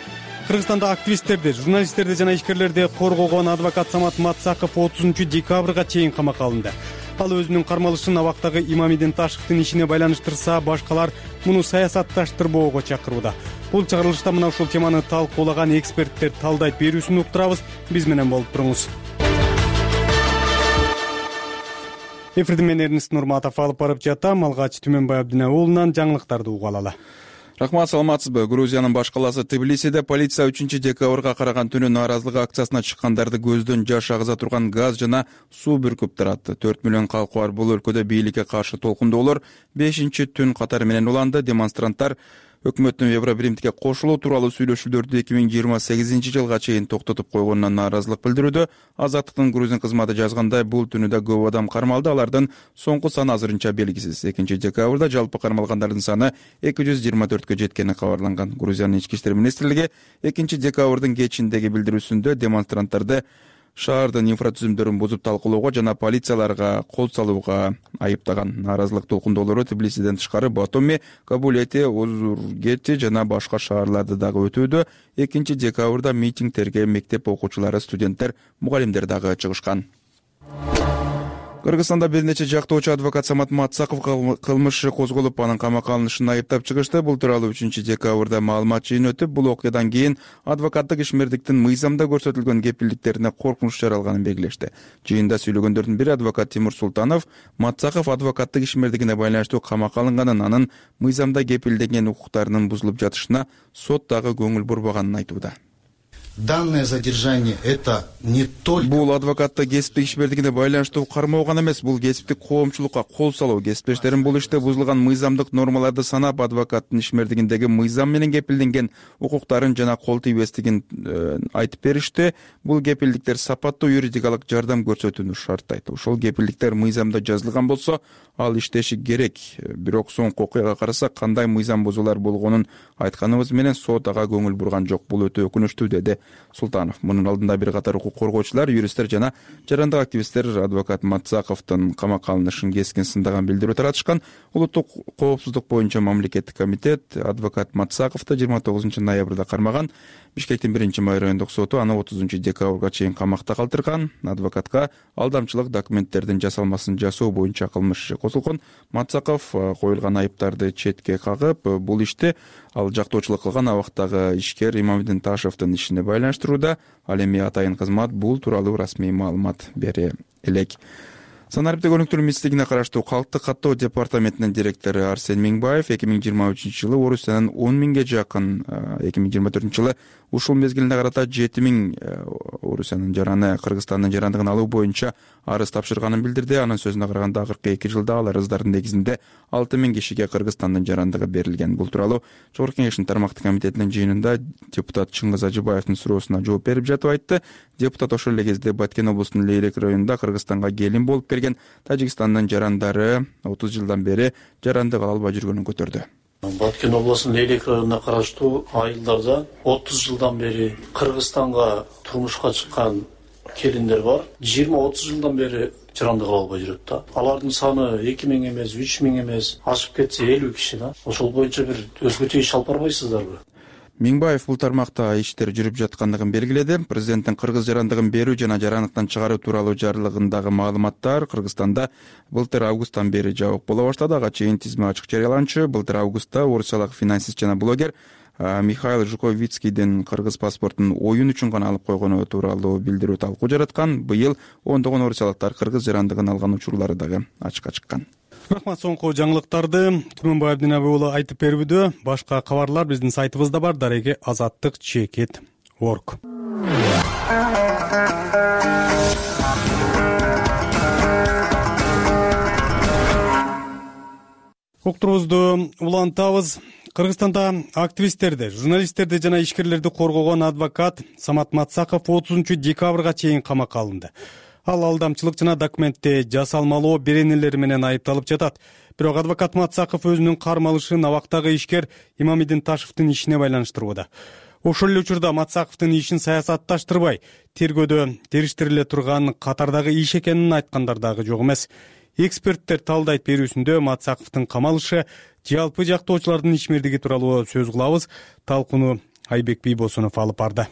Кыргызстанда активисттерди, журналисттерди жана ишкерлерди коргогон адвокат Самат Матсаков 30 декабрга чейин камакка алынды. Ал өзүнүн кармалышын абактагы Имамидин Ташевдин ишине байланыштырса, башкалар муну саясатташтырбоого чакырууда. Бул чыгарылышта мына ушул теманы талкуулаган эксперттер талдайт берүүсүн уктурабыз. Биз менен болуп туруңуз. Эфирди мен Эрнест Нурматов алып барып жатам. Алгач Түмөнбай Абдина уулунан жаңылыктарды угуп алалы. Рахмат, саламатсызбы? Грузиянын баш каласы Тбилисиде полиция 3 декабрга караган түнү нааразылык акциясына чыккандарды көздөн жаш агыза турган газ жана суу бүркүп таратты. 4 миллион калкы бар бул өлкөдө бийликке каршы толкундоолор 5-түн катары менен уланды. Демонстранттар өкмөттүн Евробиримдикке кошулуу тууралуу сүйлөшүүлөрдү 2028 жылга чейин токтотуп койгонуна нааразылык билдирүүдө. Азаттыктын грузин кызматы жазгандай, бул түнүдө көп адам кармалды. Алардын соңку саны азырынча белгисиз. 2 декабрда жалпы кармалгандардын саны 224кө жеткени кабарланган. Грузиянын ички иштер министрлиги 2 декабрдын кечиндеги билдирүүсүндө демонстранттарды шаардын инфратүзүмдөрүн бузуп талкуулоого жана полицияларга кол салууга айыптаган. Нааразылык толкундоолору Тбилисиден тышкары Батуми, Кабулети, Озургети жана башка шаарларды дагы өтүүдө. 2 декабрда митингтерге мектеп окуучулары, студенттер, мугалимдер дагы чыгышкан. Кыргызстанда бир нече жактоочу адвокат Самат Матсаков кылмыш козголуп, анын камакка алынышын айыптап чыгышты. Бул тууралуу 3 декабрда маалымат жыйыны өтүп, бул окуядан кийин адвокаттык ишмердиктин мыйзамда көрсөтүлгөн кепилдиктерине коркунуч жаралганын белгилешти. Жыйында сүйлөгөндөрдүн бири адвокат Тимур Султанов Матсаков адвокаттык ишмердигине байланыштуу камакка алынганын, анын мыйзамда кепилденген укуктарынын бузулуп жатышына сот дагы көңүл бурбаганын айтууда. Данное задержание это не только... Бул адвокатты кесиптик ишмердигине байланыштуу кармоо гана эмес, бул кесиптик коомчулукка кол салуу. Кесиптештерим бул иште бузулган мыйзамдык нормаларды санап, адвокаттын ишмердигиндеги мыйзам менен кепилденген укуктарын жана кол тийбестигин айтып беришти. Бул кепилдиктер сапаттуу юридикалык жардам көрсөтүүнү шарттайт. Ошол кепилдиктер мыйзамда жазылган болсо, ал иштеши керек. Бирок соңку окуяга карасак, кандай мыйзам бузуулар болгонун айтканыбыз менен сот ага көңүл бурган жок. Бул өтө өкүнүчтүү, деди Султанов. Мунун алдында бир катар укук коргоочулар, юристтер жана жарандык активисттер адвокат Матсаковдун камакка алынышын кескин сындаган билдирүү таратышкан. Улуттук коопсуздук боюнча мамлекеттик комитет адвокат Матсаковду 29 ноябрда кармаган. Бишкектин 1-май райондук соту аны 30 декабрга чейин камакта калтырган. Адвокатка алдамчылык документтердин жасалмасын жасоо боюнча кылмыш иши козулгон. Матсаков коюлган айыптарды четке кагып, бул ишти ал жактоочулук кылган абактагы ишкер Имамидин Ташевдин ишине байланыштырууда. Ал эми атайын кызмат бул тууралуу расмий маалымат бере элек. Санариптик өнүктүрүү министрлигине караштуу Калктык каттоо департаментинин директору Арсен Миңбаев 2023 жылы Орусиянын 10 миңге жакын, 2024 жылы ушул мезгилине карата 7 миң Орусиянын жараны Кыргызстандын жарандыгын алуу боюнча арыз тапшырганын билдирди. Анын сөзүнө караганда, акыркы 2 жылда ал арыздардын негизинде 6 миң кишиге Кыргызстандын жарандыгы берилген. Бул тууралуу Жогорку Кеңештин тармактык комитетинин жыйынында депутат Чыңгыз Ажыбаевдин суроосуна жооп берип жатып айтты. Депутат ошол эле кезде Баткен облусунун Лейрек районунда Кыргызстанга келин болуп келген Тажикстандын жарандары 30 жылдан бери жарандык ала албай жүргөнүн көтөрдү. Баткен облусунун Лейрек районуна караштуу айылдарда 30 жылдан бери Кыргызстанга турмушка чыккан келиндер бар. 20-30 жылдан бери жарандык ала албай жүрөт да. Алардын саны 2 миң эмес, 3 миң эмес, ашып кетсе 50 киши да. Ошол боюнча бир өзгөчө иш алып барбайсыздарбы? Миңбаев бул тармакта иштер жүрүп жаткандыгын белгиледи. Президенттин кыргыз жарандыгын берүү жана жарандыктан чыгаруу тууралуу жарлыгындагы маалыматтар Кыргызстанда былтыр августтан бери жабык боло баштады. Ага чейин тизме ачык жарыяланчу. Былтыр августта орусиялык финансист жана блогер Михаил Жуковицкийдин кыргыз паспортун оюн үчүн гана алып койгону тууралуу билдирүү талкуу жараткан. Быйыл ондогон орусиялыктар кыргыз жарандыгын алган учурлары дагы ачыкка чыккан. Рахмат, соңку жаңылыктарды Түмөнбай Абдина уулу айтып берүүдө. Башка кабарлар биздин сайтыбызда бар, дареги azattik.org. Уктурубузду улантабыз. Кыргызстанда активисттерди, журналисттерди жана ишкерлерди коргогон адвокат Самат Матсаков 30 декабрга чейин камакка алынды. Ал алдамчылык жана документти жасалмалоо беренелери менен айыпталып жатат. Бирок адвокат Матсаков өзүнүн кармалышын абактагы ишкер Имамидин Ташевдин ишине байланыштырууда. Ошол эле учурда Матсаковдун ишин саясатташтырбай, тергөөдө териштириле турган катардагы иш экенин айткандар дагы жок эмес. Эксперттер талдайт берүүсүндө Матсаковдун камалышы жалпы жактоочулардын ишмердиги тууралуу сөз кылабыз. Талкууну Айбек Бийбосунов алып барды.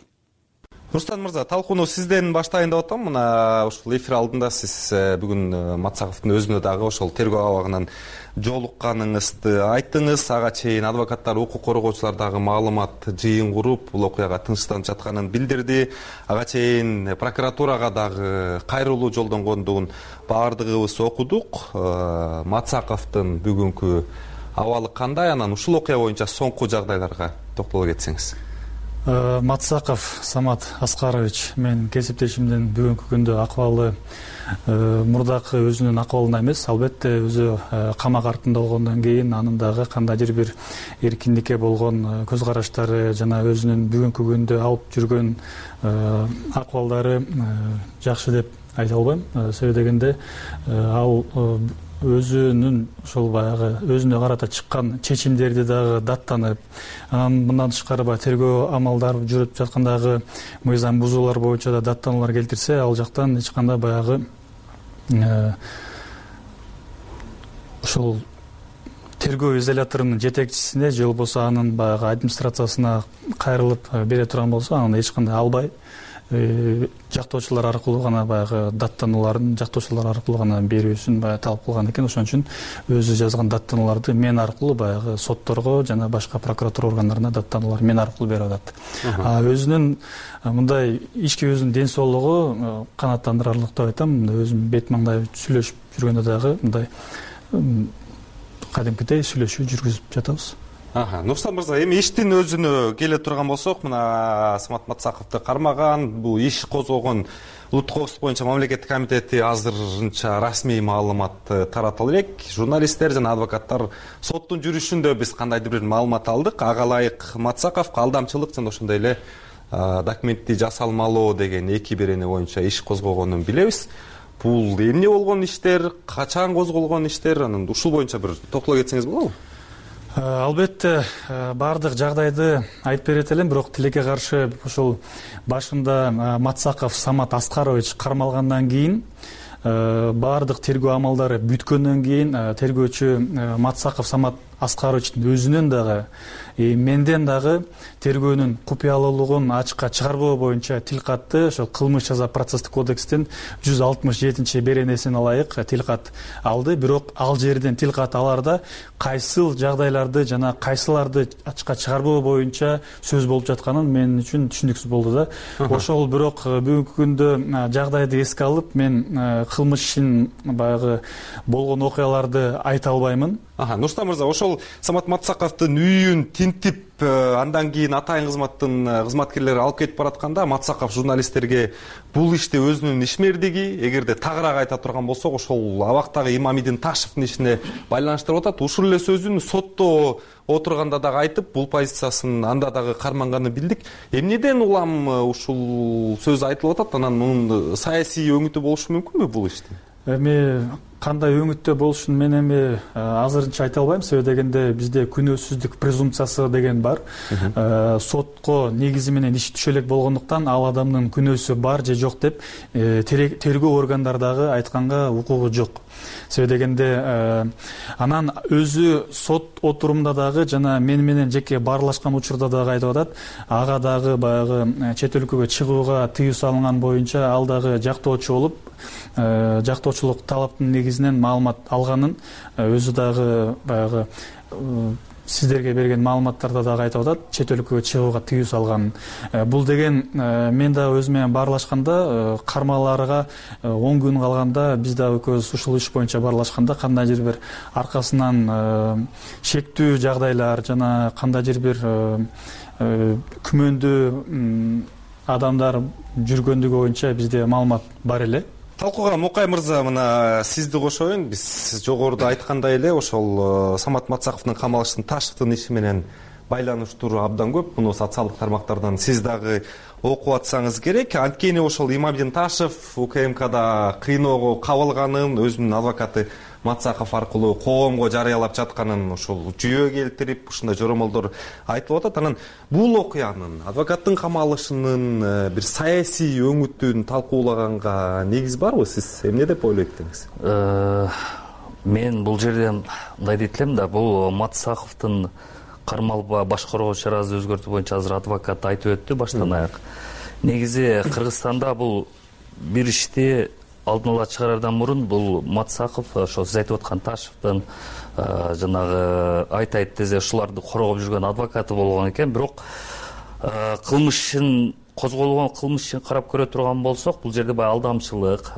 Рустам мырза, талкууну сизден баштайын деп атам. Мына ушул эфир алдында сиз бүгүн Матсаковдун өзүнө дагы ошол тергөө абагынан жолукканыңызды айттыңыз. Ага чейин адвокаттар, укук коргоочулар дагы маалымат жыйын куруп, бул окуяга тынчтанып жатканын билдирди. Ага чейин прокуратурага дагы кайрылуу жолдонгондугун баардыгыбыз окудук. Матсаковдун бүгүнкү абалы кандай? Анан ушул окуя боюнча соңку жагдайларга токтоло кетсеңиз. Матсаков Самат Аскарович менин кесиптешимдин бүгүнкү күндө акыбалы мурдакы өзүнүн акыбалында эмес. Албетте өзү камак артында болгондон кийин анын дагы кандайдыр бир эркиндикке болгон көз караштары жана өзүнүн бүгүнкү күндө алып жүргөн акыбалдары жакшы деп айта албайм. Себеби дегенде ал өзүнүн ошол баягы өзүнө карата чыккан чечимдерди дагы даттанып, анан мындан тышкары баягы тергөө амалдары жүрүп жаткандагы мыйзам бузуулар боюнча да даттануулар келтирсе, ал жактан эч кандай баягы ошол тергөө изоляторунун жетекчисине же болбосо анын баягы администрациясына кайрылып бере турган болсо, анан эч кандай албай жактоочулар аркылуу гана баягы даттанууларын жактоочулар аркылуу гана берүүсүн баягы талап кылган экен. Ошон үчүн өзү жазган даттанууларды мен аркылуу баягы сотторго жана башка прокуратура органдарына даттануулар мен аркылуу берип атат. Өзүнүн мындай ички өзүнүн ден соолугу канааттандырарлык деп айтам. Өзүм бет маңдай сүйлөшүп жүргөндө дагы мындай кадимкидей сүйлөшүү жүргүзүп жатабыз. Нурсан мырза, эми иштин өзүнө келе турган болсок, мына Самат Матсаковду кармаган, бул иш козгогон улуттук коопсуздук боюнча мамлекеттик комитети азырынча расмий маалымат тараталы элек. Журналисттер жана адвокаттар соттун жүрүшүндө биз кандайдыр бир маалымат алдык. Ага ылайык Матсаковго алдамчылык жана ошондой эле документти жасалмалоо деген эки берене боюнча иш козгогонун билебиз. Бул эмне болгон иштер, качан козголгон иштер, анан ушул боюнча бир токтоло кетсеңиз болобу? Албетте баардык жагдайды айтып берет элем, бирок тилекке каршы ошол башында Матсаков Самат Аскарович кармалгандан кийин баардык тергөө амалдары бүткөндөн кийин тергөөчү Матсаков Самат Аскаровичтин өзүнүн дагы менден дагы тергөөнүн купуялуулугун ачыкка чыгарбоо боюнча тил катты. Ошол кылмыш жаза процесстик кодекстин 167 беренесине ылайык тил кат алды. Бирок ал жерден тил кат аларда кайсыл жагдайларды жана кайсыларды ачыкка чыгарбоо боюнча сөз болуп жатканын мен үчүн түшүнүксүз болду да. Ошол бирок бүгүнкү күндө жагдайды эске алып мен кылмыштын баягы болгон окуяларды айта албаймын. Нурстан мырза, ошол Самат Матсаковдун үйүн тинтип андан кийин атайын кызматтын кызматкерлери алып кетип баратканда Матсаков журналисттерге бул ишти өзүнүн ишмердиги, эгерде тагыраак айта турган болсок, ошол абактагы Имамидин Ташевдин ишине байланыштырып атат. Ушул эле сөзүн сотто отурганда дагы айтып, бул позициясын анда дагы карманганын билдик. Эмнеден улам ушул сөз айтылып атат? Анан мунун саясий өңүтү болушу мүмкүнбү бул иштин? Эми кандай өңүттө болушун мен эми азырынча айта албайм. Себеби дегенде бизде күнөөсүздүк презумпциясы деген бар. Сотко негизи менен иш түшө элек болгондуктан ал адамдын күнөөсү бар же жок деп тергөө органдары дагы айтканга укугу жок. Себеби дегенде анан өзү сот отурумда дагы жана мен менен жеке баарлашкан учурда дагы айтып атат. Ага дагы баягы чет өлкөгө чыгууга тыюу салынган боюнча ал дагы жактоочу болуп, жактоочулук талаптын негизинен маалымат алганын өзү дагы баягы сиздерге берген маалыматтарда дагы айтып атат, чет өлкөгө чыгууга тыюу салган. Бул деген мен дагы өзүм менен баарлашканда кармаларга 10 күн калганда биз дагы экөөбүз ушул иш боюнча баарлашканда кандайдыр бир аркасынан шектүү жагдайлар жана кандайдыр бир күмөндүү адамдар жүргөндүгү боюнча бизде маалымат бар эле. Талкууга Мукай мырза, мына сизди кошоюн. Биз жогоруда айткандай эле ошол Самат Матсаковдун камалыштын Ташевдин иши менен байланыштуу абдан көп. Муну социалдык тармактардан сиз дагы окуп атсаңыз керек. Анткени ошол Имамидин Ташев УКМКда кыйноого кабылганын өзүнүн адвокаты Матсаков аркылуу коомго жарыялап жатканын ушул жүйө келтирип, ушундай жоромолдор айтылып атат. Анан бул окуянын, адвокаттын камалышынын бир саясий өңүтүн талкуулаганга негиз барбы? Сиз эмне деп ойлойт экенсиз? Мен бул жерден мындай дейт элем да, бул Матсаковдун кармалып баш коргоо чарасы өзгөртүү боюнча азыр адвокат айтып өттү баштан аяк. Негизи Кыргызстанда бул бир ишти алдын ала чыгарардан мурун бул Матсаков ошо сиз айтып аткан Ташевдин жанагы айтайт дезе ушуларды коргоп жүргөн адвокаты болгон экен. Бирок кылмыш козголгон кылмыш ишин карап көрө турган болсок, бул жерде баягы алдамчылык,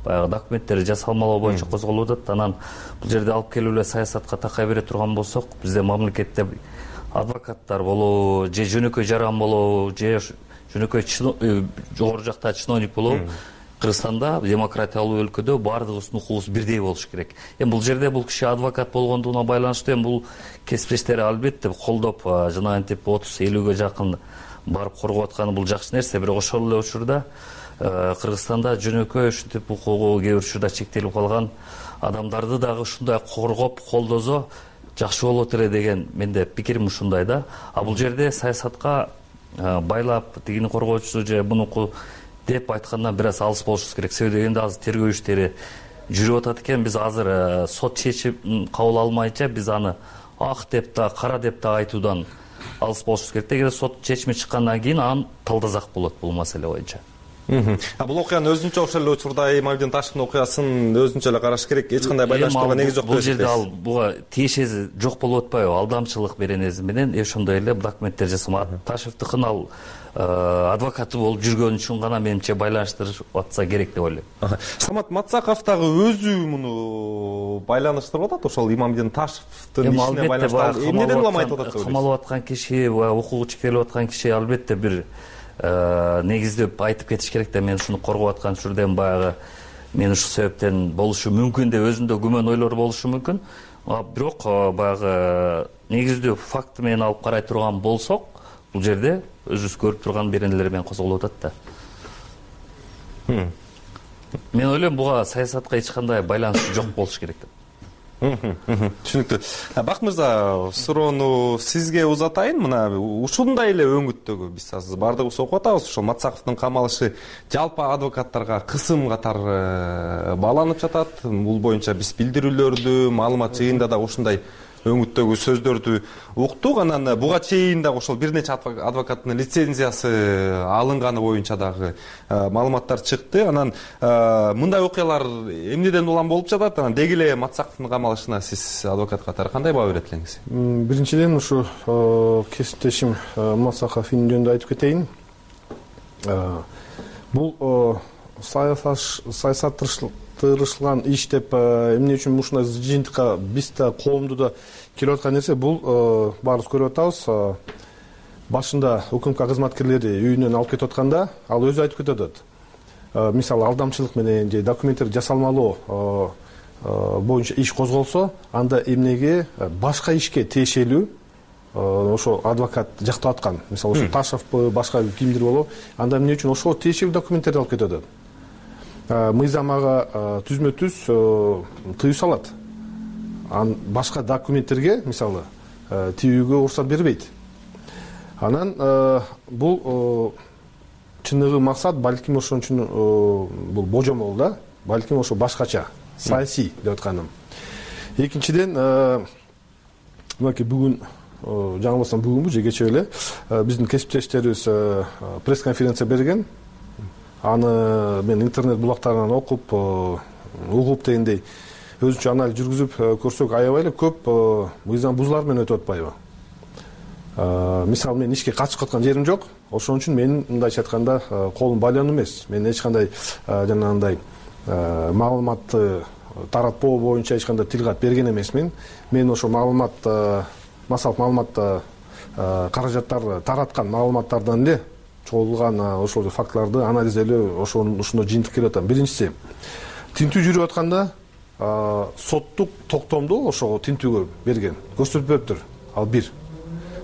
баягы документтери жасалмалоо боюнча козголуп атат. Анан бул жерде алып келип эле саясатка такай бере турган болсок, бизде мамлекетте адвокаттар болобу, же жөнөкөй жаран болобу, же жөнөкөй жогору жакта чиновник болобу, Кыргызстанда демократиялуу өлкөдө баардыгыбыздын укугубуз бирдей болуш керек. Бул жерде бул киши адвокат болгондугуна байланыштуу бул кесиптештери албетте колдоп, жанагынтип 30-50ге жакын барып коргоп атканы бул жакшы нерсе. Бирок ошол эле учурда Кыргызстанда жөнөкөй ушинтип укугу кээ бир учурда чектелип калган адамдарды дагы ушундай коргоп, колдозо жакшы болот эле деген менде пикирим ушундай да. А бул жерде саясатка байлап тигини коргоочусу же мунуку деп айткандан бир аз алыс болушубуз керек. Себеби дегенде азыр тергөө иштери жүрүп атат экен. Биз азыр сот чечим кабыл алмайынча биз аны ак деп да, кара деп да айтуудан алыс болушубуз керек. Эгер сот чечими чыккандан кийин анан талдасак болот бул маселе боюнча. Бул окуяны өзүнчө ошол эле учурда Имамдин Ташевдин окуясын өзүнчө эле караш керек. Эч кандай байланыштырууга негиз жок. Бул жерде ал буга тиешеси жок болуп атпайбы? Алдамчылык беренеси менен ошондой эле документтер жасалма. Ташевдикин ал адвокаты болуп жүргөн үчүн гана менимче байланыштырып атса керек деп ойлойм. Самат Матсаков дагы өзү муну байланыштырып атат ошол Имамдин Ташевдин ишине байланыштырып. Эмнеден улам айтып атат? Камалып аткан киши, укугу чектелип аткан киши албетте бир негиздеп айтып кетиш керек да, мен ушуну коргоп аткан жүрдөн баягы мен ушул себептен болушу мүмкүн деп өзүндө күмөн ойлор болушу мүмкүн. Бирок баягы негиздүү факты менен алып карай турган болсок, бул жерде өзүбүз көрүп турган беренелер менен козголуп атат да. Мен ойлойм буга саясатка эч кандай байланышы жок болуш керек деп. Түшүнүктүү. Бак мырза, суроону сизге узатайын. Мына ушундай эле өңүттөгү биз азыр баардыгыбыз окуп атабыз. Ошол Матсаковдун камалышы жалпы адвокаттарга кысым катары бааланып жатат. Бул боюнча биз билдирүүлөрдү, маалымат жыйында да ушундай өңүттөгү сөздөрдү уктук. Анан буга чейин дагы ошол бир нече адвокаттын лицензиясы алынганы боюнча дагы маалыматтар чыкты. Анан мындай окуялар эмнеден улам болуп жатат? Анан деги эле Матсаковдун камалышына сиз адвокат катары кандай баа берет элеңиз? Биринчиден ушу кесиптешим Матсаков жөнүндө айтып кетейин. Бул саясатташтырылган иш деп эмне үчүн ушундай жыйынтыкка биз да коомду да келип аткан нерсе, бул баарыбыз көрүп атабыз. Башында УКМК кызматкерлери үйүнөн алып кетип атканда ал өзү айтып кетип атат. Мисалы алдамчылык менен же документтер жасалмалоо боюнча иш козголсо, анда эмнеге башка ишке тиешелүү ошо адвокат жактап аткан, мисалы ошо Ташевпи, башка кимдир болобу, анда эмне үчүн ошо тиешелүү документтерди алып кетип атат. Мыйзам ага түзмө-түз тыюу салат. Башка документтерге, мисалы, тийүүгө уруксат бербейт. Анан бул чыныгы максат балким ошон үчүн бул божомол да, балким ошо башкача, саясий деп атканым. Экинчиден, мынакей бүгүн, жаңылбасам бүгүнбү же кечээ эле биздин кесиптештерибиз пресс-конференция берген. Аны мен интернет булактарынан окуп, угуп дегендей өзүнчө анализ жүргүзүп көрсөк, аябай эле көп мыйзам бузуулар менен өтүп атпайбы? Мисалы, мен ишке катышып аткан жерим жок. Ошон үчүн менин мындайча айтканда колум байлануу эмес. Мен эч кандай жанагындай маалыматты таратпоо боюнча эч кандай тил кат берген эмесмин. Мен ошо маалымат, массалык маалыматта каражаттар тараткан маалыматтардан эле чогулган ошол фактыларды анализделөө ошондой жыйынтык келип атам. Биринчиси, тинтүү жүрүп атканда соттук токтомду ошого тинтүүгө берген, көрсөтпөптүр. Ал бир.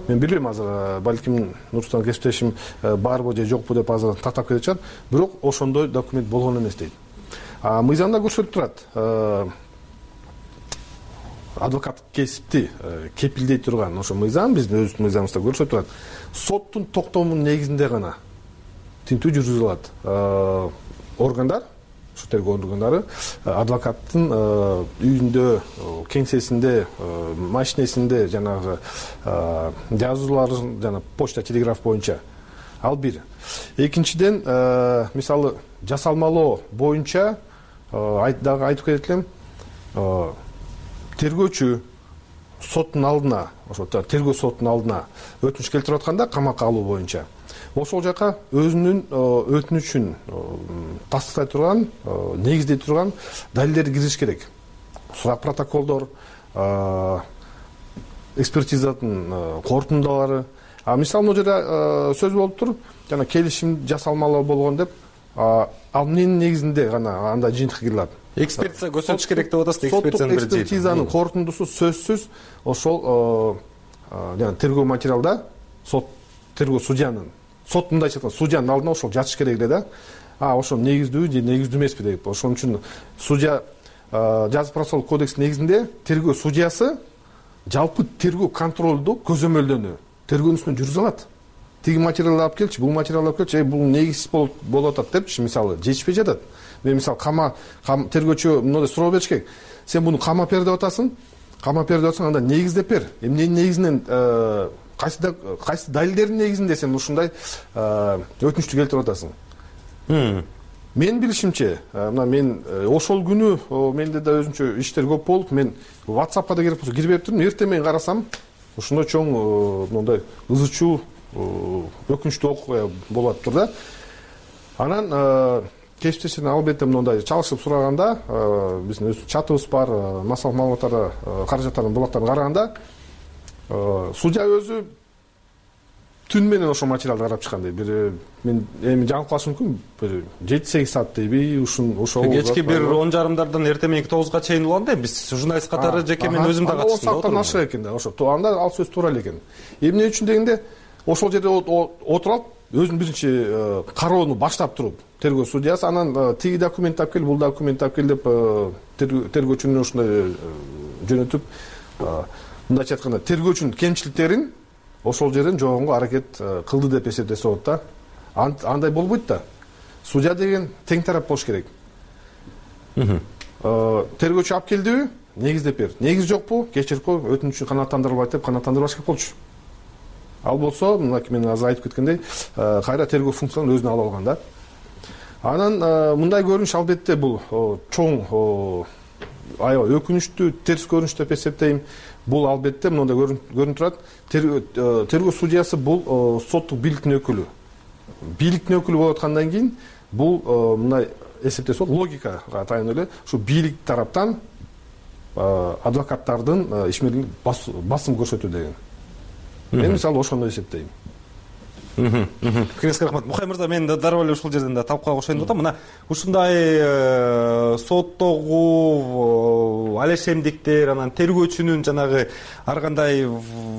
Мен билбейм азыр, балким Нурсултан кесиптешим барбы же жокпу деп азыр тактап кетет чыгар. Бирок ошондой документ болгон эмес дейт. Мыйзамда көрсөтүп турат. адвокаттык кесипти кепилдей турган ошо мыйзам биздин өзүбүздүн мыйзамыбызда көрсөтүп турат. Соттун токтомунун негизинде гана тинтүү жүргүзүлө алат. Органдар, ушу тергөө органдары адвокаттын үйүндө, кеңсесинде, машинесинде жанагы жазууларын жана почта, телеграф боюнча. Ал бир. Экинчиден, мисалы жасалмалоо боюнча дагы айтып кетет элем, тергөөчү соттун алдына, ошо тергөө соттун алдына өтүнүч келтирип атканда камакка алуу боюнча ошол жака өзүнүн өтүнүчүн тастыктай турган, негиздей турган далилдерди киргизиш керек. Сурак протоколдор, экспертизанын корутундалары. Мисалы могу жерде сөз болуп тур, жана келишим жасалмалуу болгон деп, ал эмненин негизинде гана анда жыйынтыкка кирип экспертиза көрсөтүш керек деп атасыз. Экспертизанын корутундусу сөзсүз ошол жана тергөө материалда тергөө судьянын мындайча айтканда судьянын алдына ошол жатыш керек эле да. Ошол негиздүүбү же негиздүү эмеспи деп. Ошон үчүн судья жаза процессуалдык кодекстин негизинде тергөө судьясы жалпы тергөө контролду көзөмөлдөнү тергөөнүн үстүнө жүргүзө алат. Тиги материалды алып келчи, бул материалды алып келчи, бул негизсиз болуп атат депчи, мисалы жетишпей жатат. Мен мисалы тергөөчү мындай суроо бериш керек. Сен буну камап бер деп атасың. Камап бер деп атсаң, анда негиздеп бер. Эмненин негизинен кайсы далилдердин негизинде сен ушундай өтүнүчтү келтирип атасың. Менин билишимче, мына мен ошол күнү менде да өзүнчө иштер көп болуп, мен WhatsApp'ка да кирбептирмин. Эртең менен карасам, ушундай чоң мындай ызы чуу, өкүнүчтүү окуя болуп атыптыр да. Анан кесиптештерден албетте мындай чалышып сураганда, биздин өз чатыбыз бар, массалык маалыматтарды, каражаттардын булактарын караганда, судья өзү түн менен ошол материалды карап чыккан дейт. Мен эми жаңылып калышым мүмкүн, бир 7-8 саат дейби, ошол кечки бир 10:30-дан эртең мененки 9-га чейин болгон да. Биз журналист катары жеке мен өзүм да катыштым. 10 сааттан ашык экен да, ошо. Анда ал сөз туура эле экен. Эмне үчүн дегенде, ошол жерде отуруп алып, өзүнүн биринчи кароону баштап туруп, тергөө судьясы анан тиги документти алып кел, бул документти алып кел деп тергөөчүнүн ушундай жөнөтүп, мындайча айтканда тергөөчүнүн кемчиликтерин ошол жерден жогонго аракет кылды деп эсептесе болот да. Андай болбойт да. Судья деген тең тарап болуш керек. Тергөөчү алып келдиби? Негиздеп бер. Негиз жокпу? Кечирипи, өтүнүчү канааттандырылбайт деп канааттандырбаш керек болчу. Ал болсо, мынакей мен азыр айтып кеткендей, кайра тергөө функцияларын өзүнө ала алган да. Анан мындай көрүнүш албетте бул чоң аябай өкүнүчтүү, терс көрүнүш деп эсептейм. Бул албетте мындай көрүнүп турат. Тергөө судьясы бул соттук бийликтин өкүлү. Бийликтин өкүлү болуп аткандан кийин бул мындай эсептесе болот, логикага таянып эле ушу бийлик тараптан адвокаттардын ишмерлигине басым көрсөтүү деген. Мен мисалы ошондой эсептейм. Пикириңизге рахмат. Мухай мырза, мен дароо эле ушул жерден да талкууга кошоюн деп атам. Мына ушундай соттогу алешемдиктер, анан тергөөчүнүн жанагы ар кандай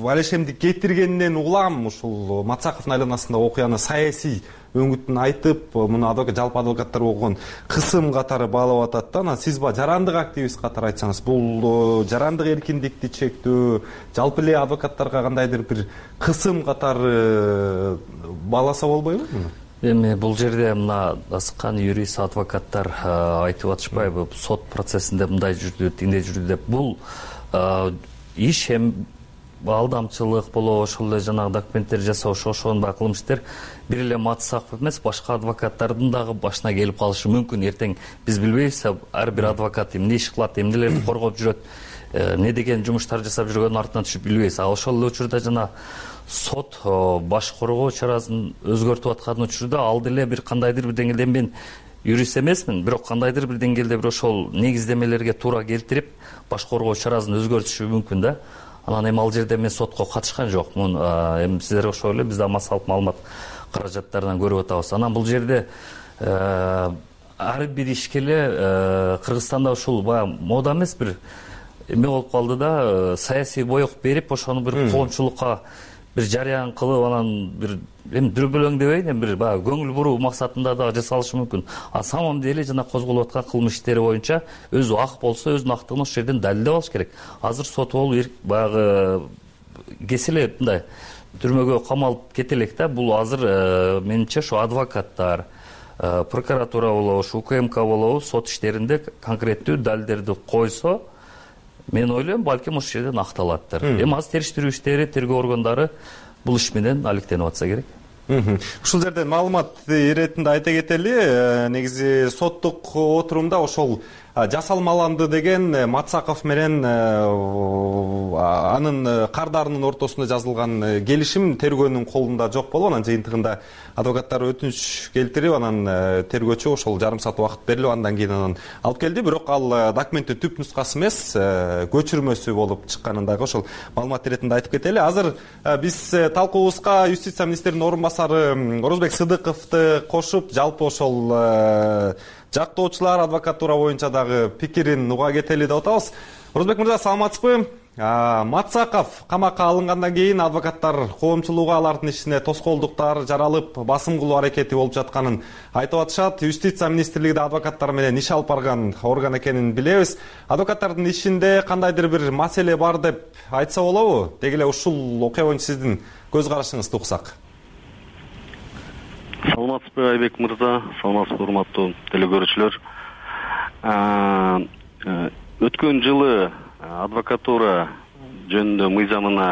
алешемдик кетиргенинен улам ушул Мацаковдун айланасында окуяны саясий өңүтүн айтып, муну жалпы адвокаттар болгон кысым катары баалап атат да. Анан сиз жарандык активист катары айтсаңыз, бул жарандык эркиндикти чектөө, жалпы эле адвокаттарга кандайдыр бир кысым катары бааласа болбойбу? Эми бул жерде мына асыккан юрист адвокаттар айтып атышпайбы, сот процессинде мындай жүрдү, тиндей жүрдү деп. Бул иш эми алдамчылык болобу, ошол эле жанагы документтер жасоо, ошондой кылмыш иштер бир эле Мацаков эмес, башка адвокаттардын дагы башына келип калышы мүмкүн. Эртең биз билбейбиз, ар бир адвокат эмне иш кылат, эмнелерди коргоп жүрөт, эмне деген жумуштар жасап жүргөнүн артынан түшүп билбейбиз. Ошол эле учурда жана сот баш коргоо чарасын өзгөртүп аткан учурда ал деле бир кандайдыр бир деңгээлде, мен юрист эмесмин, бирок кандайдыр бир деңгээлде бир ошол негиздемелерге туура келтирип баш коргоо чарасын өзгөртүшү мүмкүн да. Анан эми ал жерде мен сотко катышкан жокмун. Эми сиздерге окшой эле биз да массалык маалымат каражаттарынан көрүп атабыз. Анан бул жерде ар бир ишке эле Кыргызстанда ушул баягы мода эмес, бир эме болуп калды да, саясий боек берип, ошону бир коомчулукка бир жарыян кылып анан бир эми дүрбөлөң дебейин, эми бир баягы көңүл буруу максатында дагы жасалышы мүмкүн. А самом деле жана козголуп аткан кылмыш иштери боюнча өзү ак болсо өзүнүн актыгын ошол жерден далилдеп алыш керек. Азыр сот болуп баягы кеселе мындай түрмөгө камалып кете элек да. Бул азыр менимче ошо адвокаттар, прокуратура болобу, ушу УКМК болобу сот иштеринде конкреттүү далилдерди койсо, мен ойлойм, балким ошол жерден акталаттыр. Эми азыр териштирүү иштери, тергөө органдары бул иш менен алектенип атса керек. Ушул жерден маалымат иретинде айта кетели, негизи соттук отурумда ошол жасалмаланды деген Мацаков менен анын кардарынын ортосунда жазылган келишим тергөөнүн колунда жок болуп, анан жыйынтыгында адвокаттар өтүнүч келтирип, анан тергөөчү ошол жарым саат убакыт берилип, андан кийин анан алып келди. Бирок ал документтин түп нускасы эмес, көчүрмөсү болуп чыкканын дагы ошол маалымат иретинде айтып кетели. Азыр биз талкуубузга юстиция министринин орун басары Орозбек Сыдыковду кошуп, жалпы ошол жактоочулар адвокатура боюнча дагы пикирин уга кетели деп атабыз. Орозбек мырза, саламатсызбы? Мацаков камакка алынгандан кийин адвокаттар коомчулугу алардын ишине тоскоолдуктар жаралып, басым кылуу аракети болуп жатканын айтып атышат. Юстиция министрлиги да адвокаттар менен иш алып барган орган экенин билебиз. Адвокаттардын ишинде кандайдыр бир маселе бар деп айтса болобу? Деги эле ушул окуя боюнча сиздин көз карашыңызды уксак. Саламатсызбы Айбек мырза, саламатсызбы урматтуу телекөрүүчүлөр. Өткөн жылы адвокатура жөнүндө мыйзамына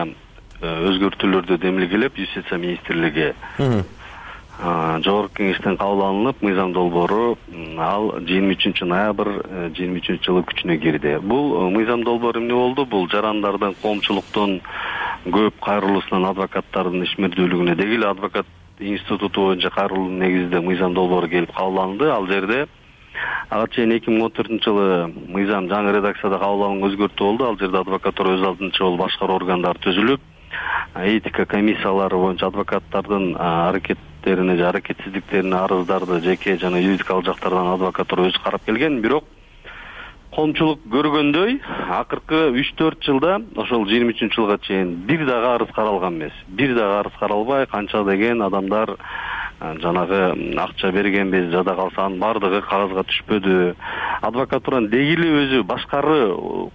өзгөртүүлөрдү демилгелеп, юстиция министрлиги жогорку кеңештен кабыл алынып, мыйзам долбоору ал 23 ноябрь 23 жылы күчүнө кирди. Бул мыйзам долбоору эмне болду? Бул жарандардын, коомчулуктун көп кайрылуусунан адвокаттардын ишмердүүлүгүнө, деги эле адвокат институту боюнча кайрылуу негизинде мыйзам долбоору келип кабыл алынды. Ал жерде ага чейин 2014 жылы мыйзам жаңы редакцияда кабыл алынган өзгөртүү болду. Ал жерде адвокатура өз алдынча болуп башкаруу органдары түзүлүп, этика комиссиялары боюнча адвокаттардын аракеттерине же аракетсиздиктерине арыздарды жеке жана юридикалык жактардан адвокатура өзү карап келген. Бирок коомчулук көргөндөй, акыркы 3-4 жылда ошол 23 жылга чейин бир дагы арыз каралган эмес. Бир дагы арыз каралбай, канча деген адамдар жанагы акча бергенбиз, жада калса анын бардыгы кагазга түшпөдү. Адвокатуранын деги эле өзү башкаруу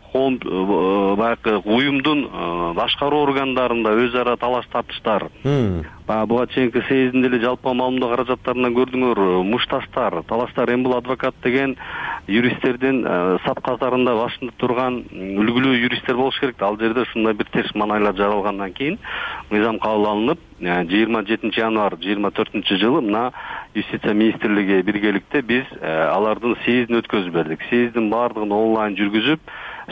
баягы уюмдун башкаруу органдарында өз ара талаш тартыштар. Буга чейинки съездинде эле жалпы маалымдоо каражаттарынан көрдүңөр, мушташтар, талаштар. Эми бул адвокат деген юристтердин сап катарында башында турган үлгүлүү юристтер болуш керек. Ал жерде ушундай бир терс маанайлар жаралгандан кийин мыйзам кабыл алынып, 27 январь 24 жылы мына юстиция министрлиги биргеликте биз алардын съездин өткөзүп бердик. Съездин баардыгын онлайн жүргүзүп,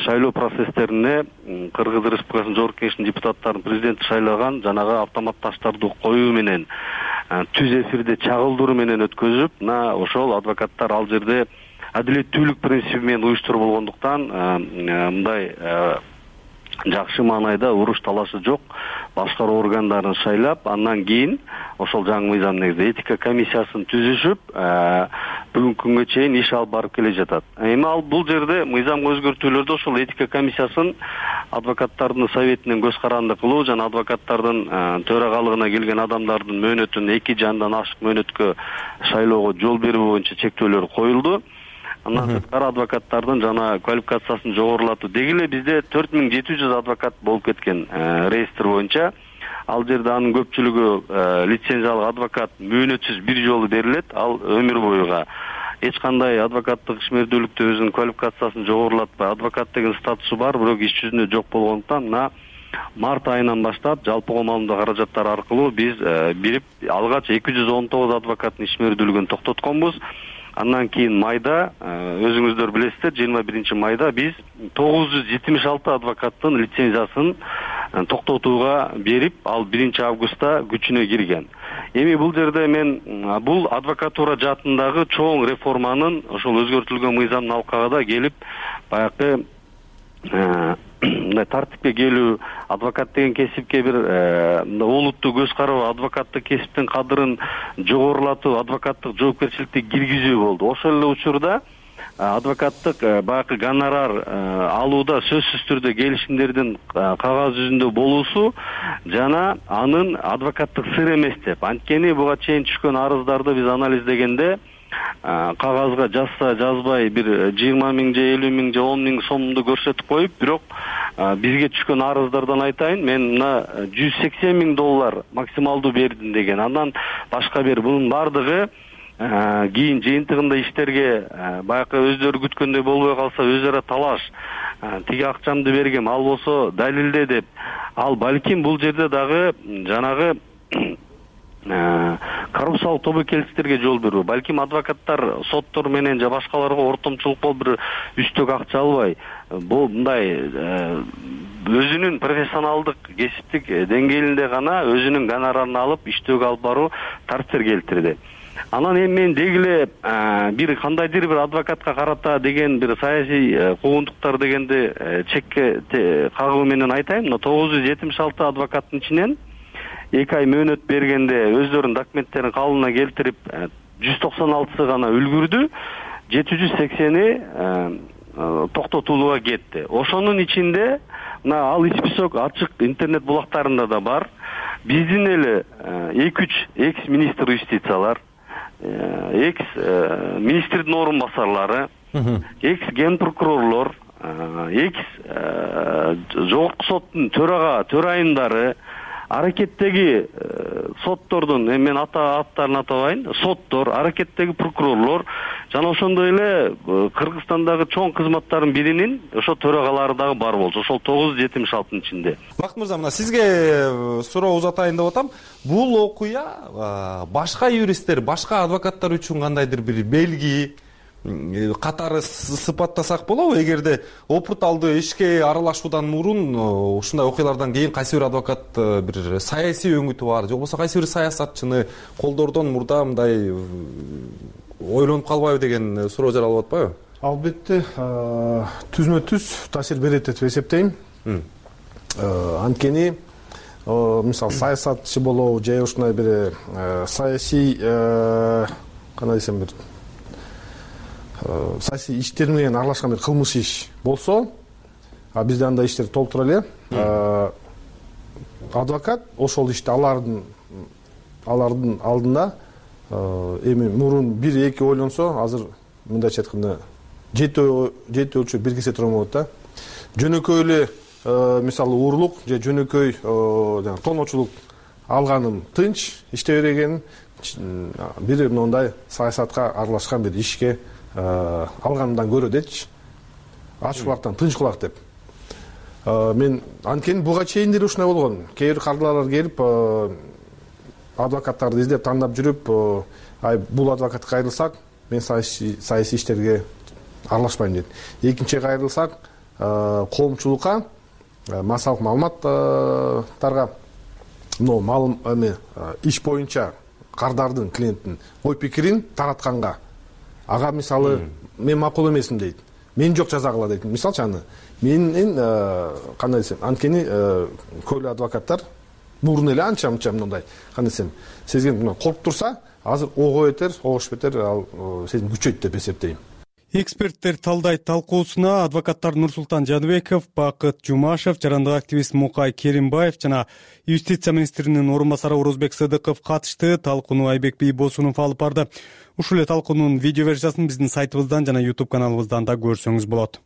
шайлоо процесстерине Кыргыз Республикасынын жогорку кеңешинин депутаттарын президенти шайлаган жанагы автоматташтарды коюу менен түз эфирде чагылдыруу менен өткөзүп, мына ошол адвокаттар ал жерде адилеттүүлүк принциби менен уюштуруп болгондуктан мындай жакшы маанайда уруш талашы жок башкаруу органдарын шайлап, андан кийин ошол жаңы мыйзам негизинде этика комиссиясын түзүшүп, бүгүнкү күнгө чейин иш алып барып келе жатат. Эми ал бул жерде мыйзамга өзгөртүүлөрдө ошол этика комиссиясын адвокаттардын советинен көз каранды кылуу жана адвокаттардын төрагалыгына келген адамдардын мөөнөтүн 2 жандан ашык мөөнөткө шайлоого жол берүү боюнча чектөөлөр коюлду. Андан сырткары адвокаттардын жана квалификациясын жогорулатуу. Деги эле бизде 4700 адвокат болуп кеткен реестр боюнча. Ал жерде анын көпчүлүгү лицензиялык адвокат мөөнөтсүз бир жолу берилет, ал өмүр боюга. Эч кандай адвокаттык ишмердүүлүктө өзүнүн квалификациясын жогорулатпай, адвокат деген статусу бар, бирок иш жүзүндө жок болгондуктан мына март айынан баштап жалпыга маалымдоо каражаттары аркылуу биз бирип алгач 219 адвокаттын ишмердүүлүгүн токтотконбуз. Андан кийин майда, өзүңүздөр билесиздер, 21 майда биз 976 адвокаттын лицензиясын токтотууга берип, ал 1 августта күчүнө кирген. Эми бул жерде мен бул адвокатура жаатындагы чоң реформанын ошол өзгөртүлгөн мыйзамдын алкагында келип, баягы тартипке келүү, адвокат деген кесипке бир олуттуу көз кароо, адвокаттык кесиптин кадырын жогорулатуу, адвокаттык жоопкерчиликти киргизүү болду. Ошол эле учурда адвокаттык баягы гонорар алууда сөзсүз түрдө келишимдердин кагаз жүзүндө болуусу жана анын адвокаттык сыр эмес деп. Анткени буга чейин түшкөн арыздарды биз анализдегенде кагазга жазса жазбай бир 20 миң же 50 миң же 10 миң сомду көрсөтүп коюп, бирок бизге түшкөн арыздардан айтайын, мен мына $180 миң максималдуу бердим деген. Андан башка бир бунун бардыгы кийин жыйынтыгында иштерге баягы өздөрү күткөндөй болбой калса өзү ара талаш, тиги акчамды бергем, ал болсо далилде деп. Ал балким бул жерде дагы жанагы коррупциялык тобокелчиликтерге жол берүү. Балким адвокаттар соттор менен же башкаларга ортомчулук болуп бир үстөк акча албай, бул мындай өзүнүн профессионалдык кесиптик деңгээлинде гана өзүнүн гонорарын алып иштөөгө алып баруу тартипер келтирди. Анан эми мен дегиле бир кандайдыр бир адвокатка карата деген бир саясий куугунтуктар дегенди чекке кагуу менен айтайын. 976 адвокаттын ичинен 2 ай мөөнөт бергенде өздөрүнүн документтерин калыбына келтирип 196 гана үлгүрдү, 780 токтотулууга кетти. Ошонун ичинде мына ал список ачык интернет булактарында да бар. Биздин эле 2-3 экс-министр юстициялар, экс-министрдин орун басарлары, экс-генпрокурорлор, экс-жогорку соттун төрайымдары, аракеттеги соттордун, мен аттарын атабайын, соттор, аракеттеги прокурорлор жана ошондой эле Кыргызстандагы чоң кызматтардын биринин ошо төрагалары дагы бар болчу. Ошол 976-тын ичинде. Бакыт мырза, мына сизге суроо узатайын деп атам. Бул окуя башка юристтер, башка адвокаттар үчүн кандайдыр бир белги катары сыпаттасак болобу? Эгерде опыт алды ишке аралашуудан мурун ушундай окуялардан кийин кайсы бир адвокат бир саясий өңүтү бар, же болбосо кайсы бир саясатчыны колдоордон мурда мындай ойлонуп калбайбы деген суроо жаралып атпайбы? Албетте, түзмө-түз таасир берет деп эсептейм. Анткени мисалы саясатчы болобу же ушундай бир саясий кандай десем бир саясий иштер менен аралашкан бир кылмыш иш болсо, бизде андай иштер толтура эле. Адвокат ошол ишти алардын алдында эми мурун 1-2 ойлонсо, азыр мындайча айтканда 7 өлчөп бир кесе тура болот да. Жөнөкөй эле мисалы уурулук же жөнөкөй тоночулук алганым тынч иштей берген, бири мындай саясатка аралашкан бир ишке алганымдан көрө дечи, ачык кулактан тынч кулак деп. Мен анткени буга чейиндери ушундай болгон. Кээ бир кардылар келип адвокаттарды издеп тандап жүрүп, бул адвокатка кайрылсак, мен саясий иштерге аралашпайм дейт. Экинчи кайрылсак, коомчулукка, массалык маалыматтарга, иш боюнча кардардын, клиенттин ой пикирин таратканга, ага мисалы мен макул эмесмин дейт. Мен жок жазагыла дейт. Мисалчы аны менин кандай десем, анткени көйлө адвокаттар мурун эле анча мындай, кандай десем, сезген коркуп турса, азыр ого бетер, огош бетер ал сезим күчөйт деп эсептейм. Эксперттер талдайт талкуусуна адвокаттар Нурсултан Жаныбеков, Бакыт Жумашев, жарандык активист Мукай Керимбаев жана юстиция министринин орун басары Орозбек Сыдыков катышты. Талкууну Айбек Бийбосунов алып барды. Ушул эле талкуунун видео версиясын биздин сайтыбыздан жана YouTube каналыбыздан да көрсөңүз болот.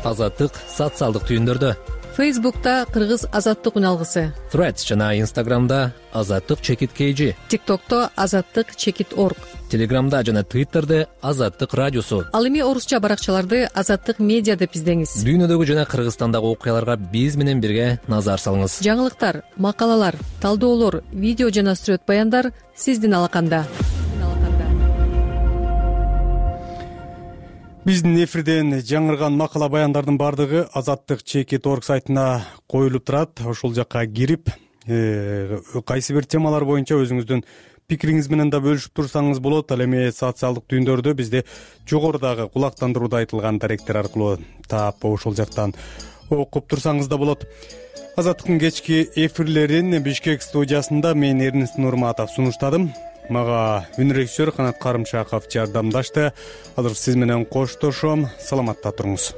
Азаттык социалдык түйүндөрдө. Фейсбукта Кыргыз азаттык үналгысы. Threads жана Instagramда azаттык_kg. TikTokто azаттык_org. Телеграмда жана Twitterде Азаттык радиосу. Ал эми орусча баракчаларды Азаттык медиа деп издеңиз. Дүйнөдөгү жана Кыргызстандагы окуяларга биз менен бирге назар салыңыз. Жаңылыктар, макалалар, талдоолор, видео жана сүрөт баяндар сиздин алаканда. Биздин эфирден жаңырган макала баяндардын бардыгы azаттык_org сайтына коюлуп турат. Ошол жакка кирип, кайсы бир темалар боюнча өзүңүздүн пикириңиз менен да бөлүшүп турсаңыз болот. Ал эми социалдык түйүндөрдө бизде жогорудагы кулактандырууда айтылган даректер аркылуу таап ошол жактан окуп турсаңыз да болот. Азаттыктын кечки эфирлерин Бишкек студиясында мен Эрнест Нурматов сунуштадым. мага үн режиссер Канат Карымшаков жардамдашты. Азыр сиз менен коштошом. Саламатта туруңуз.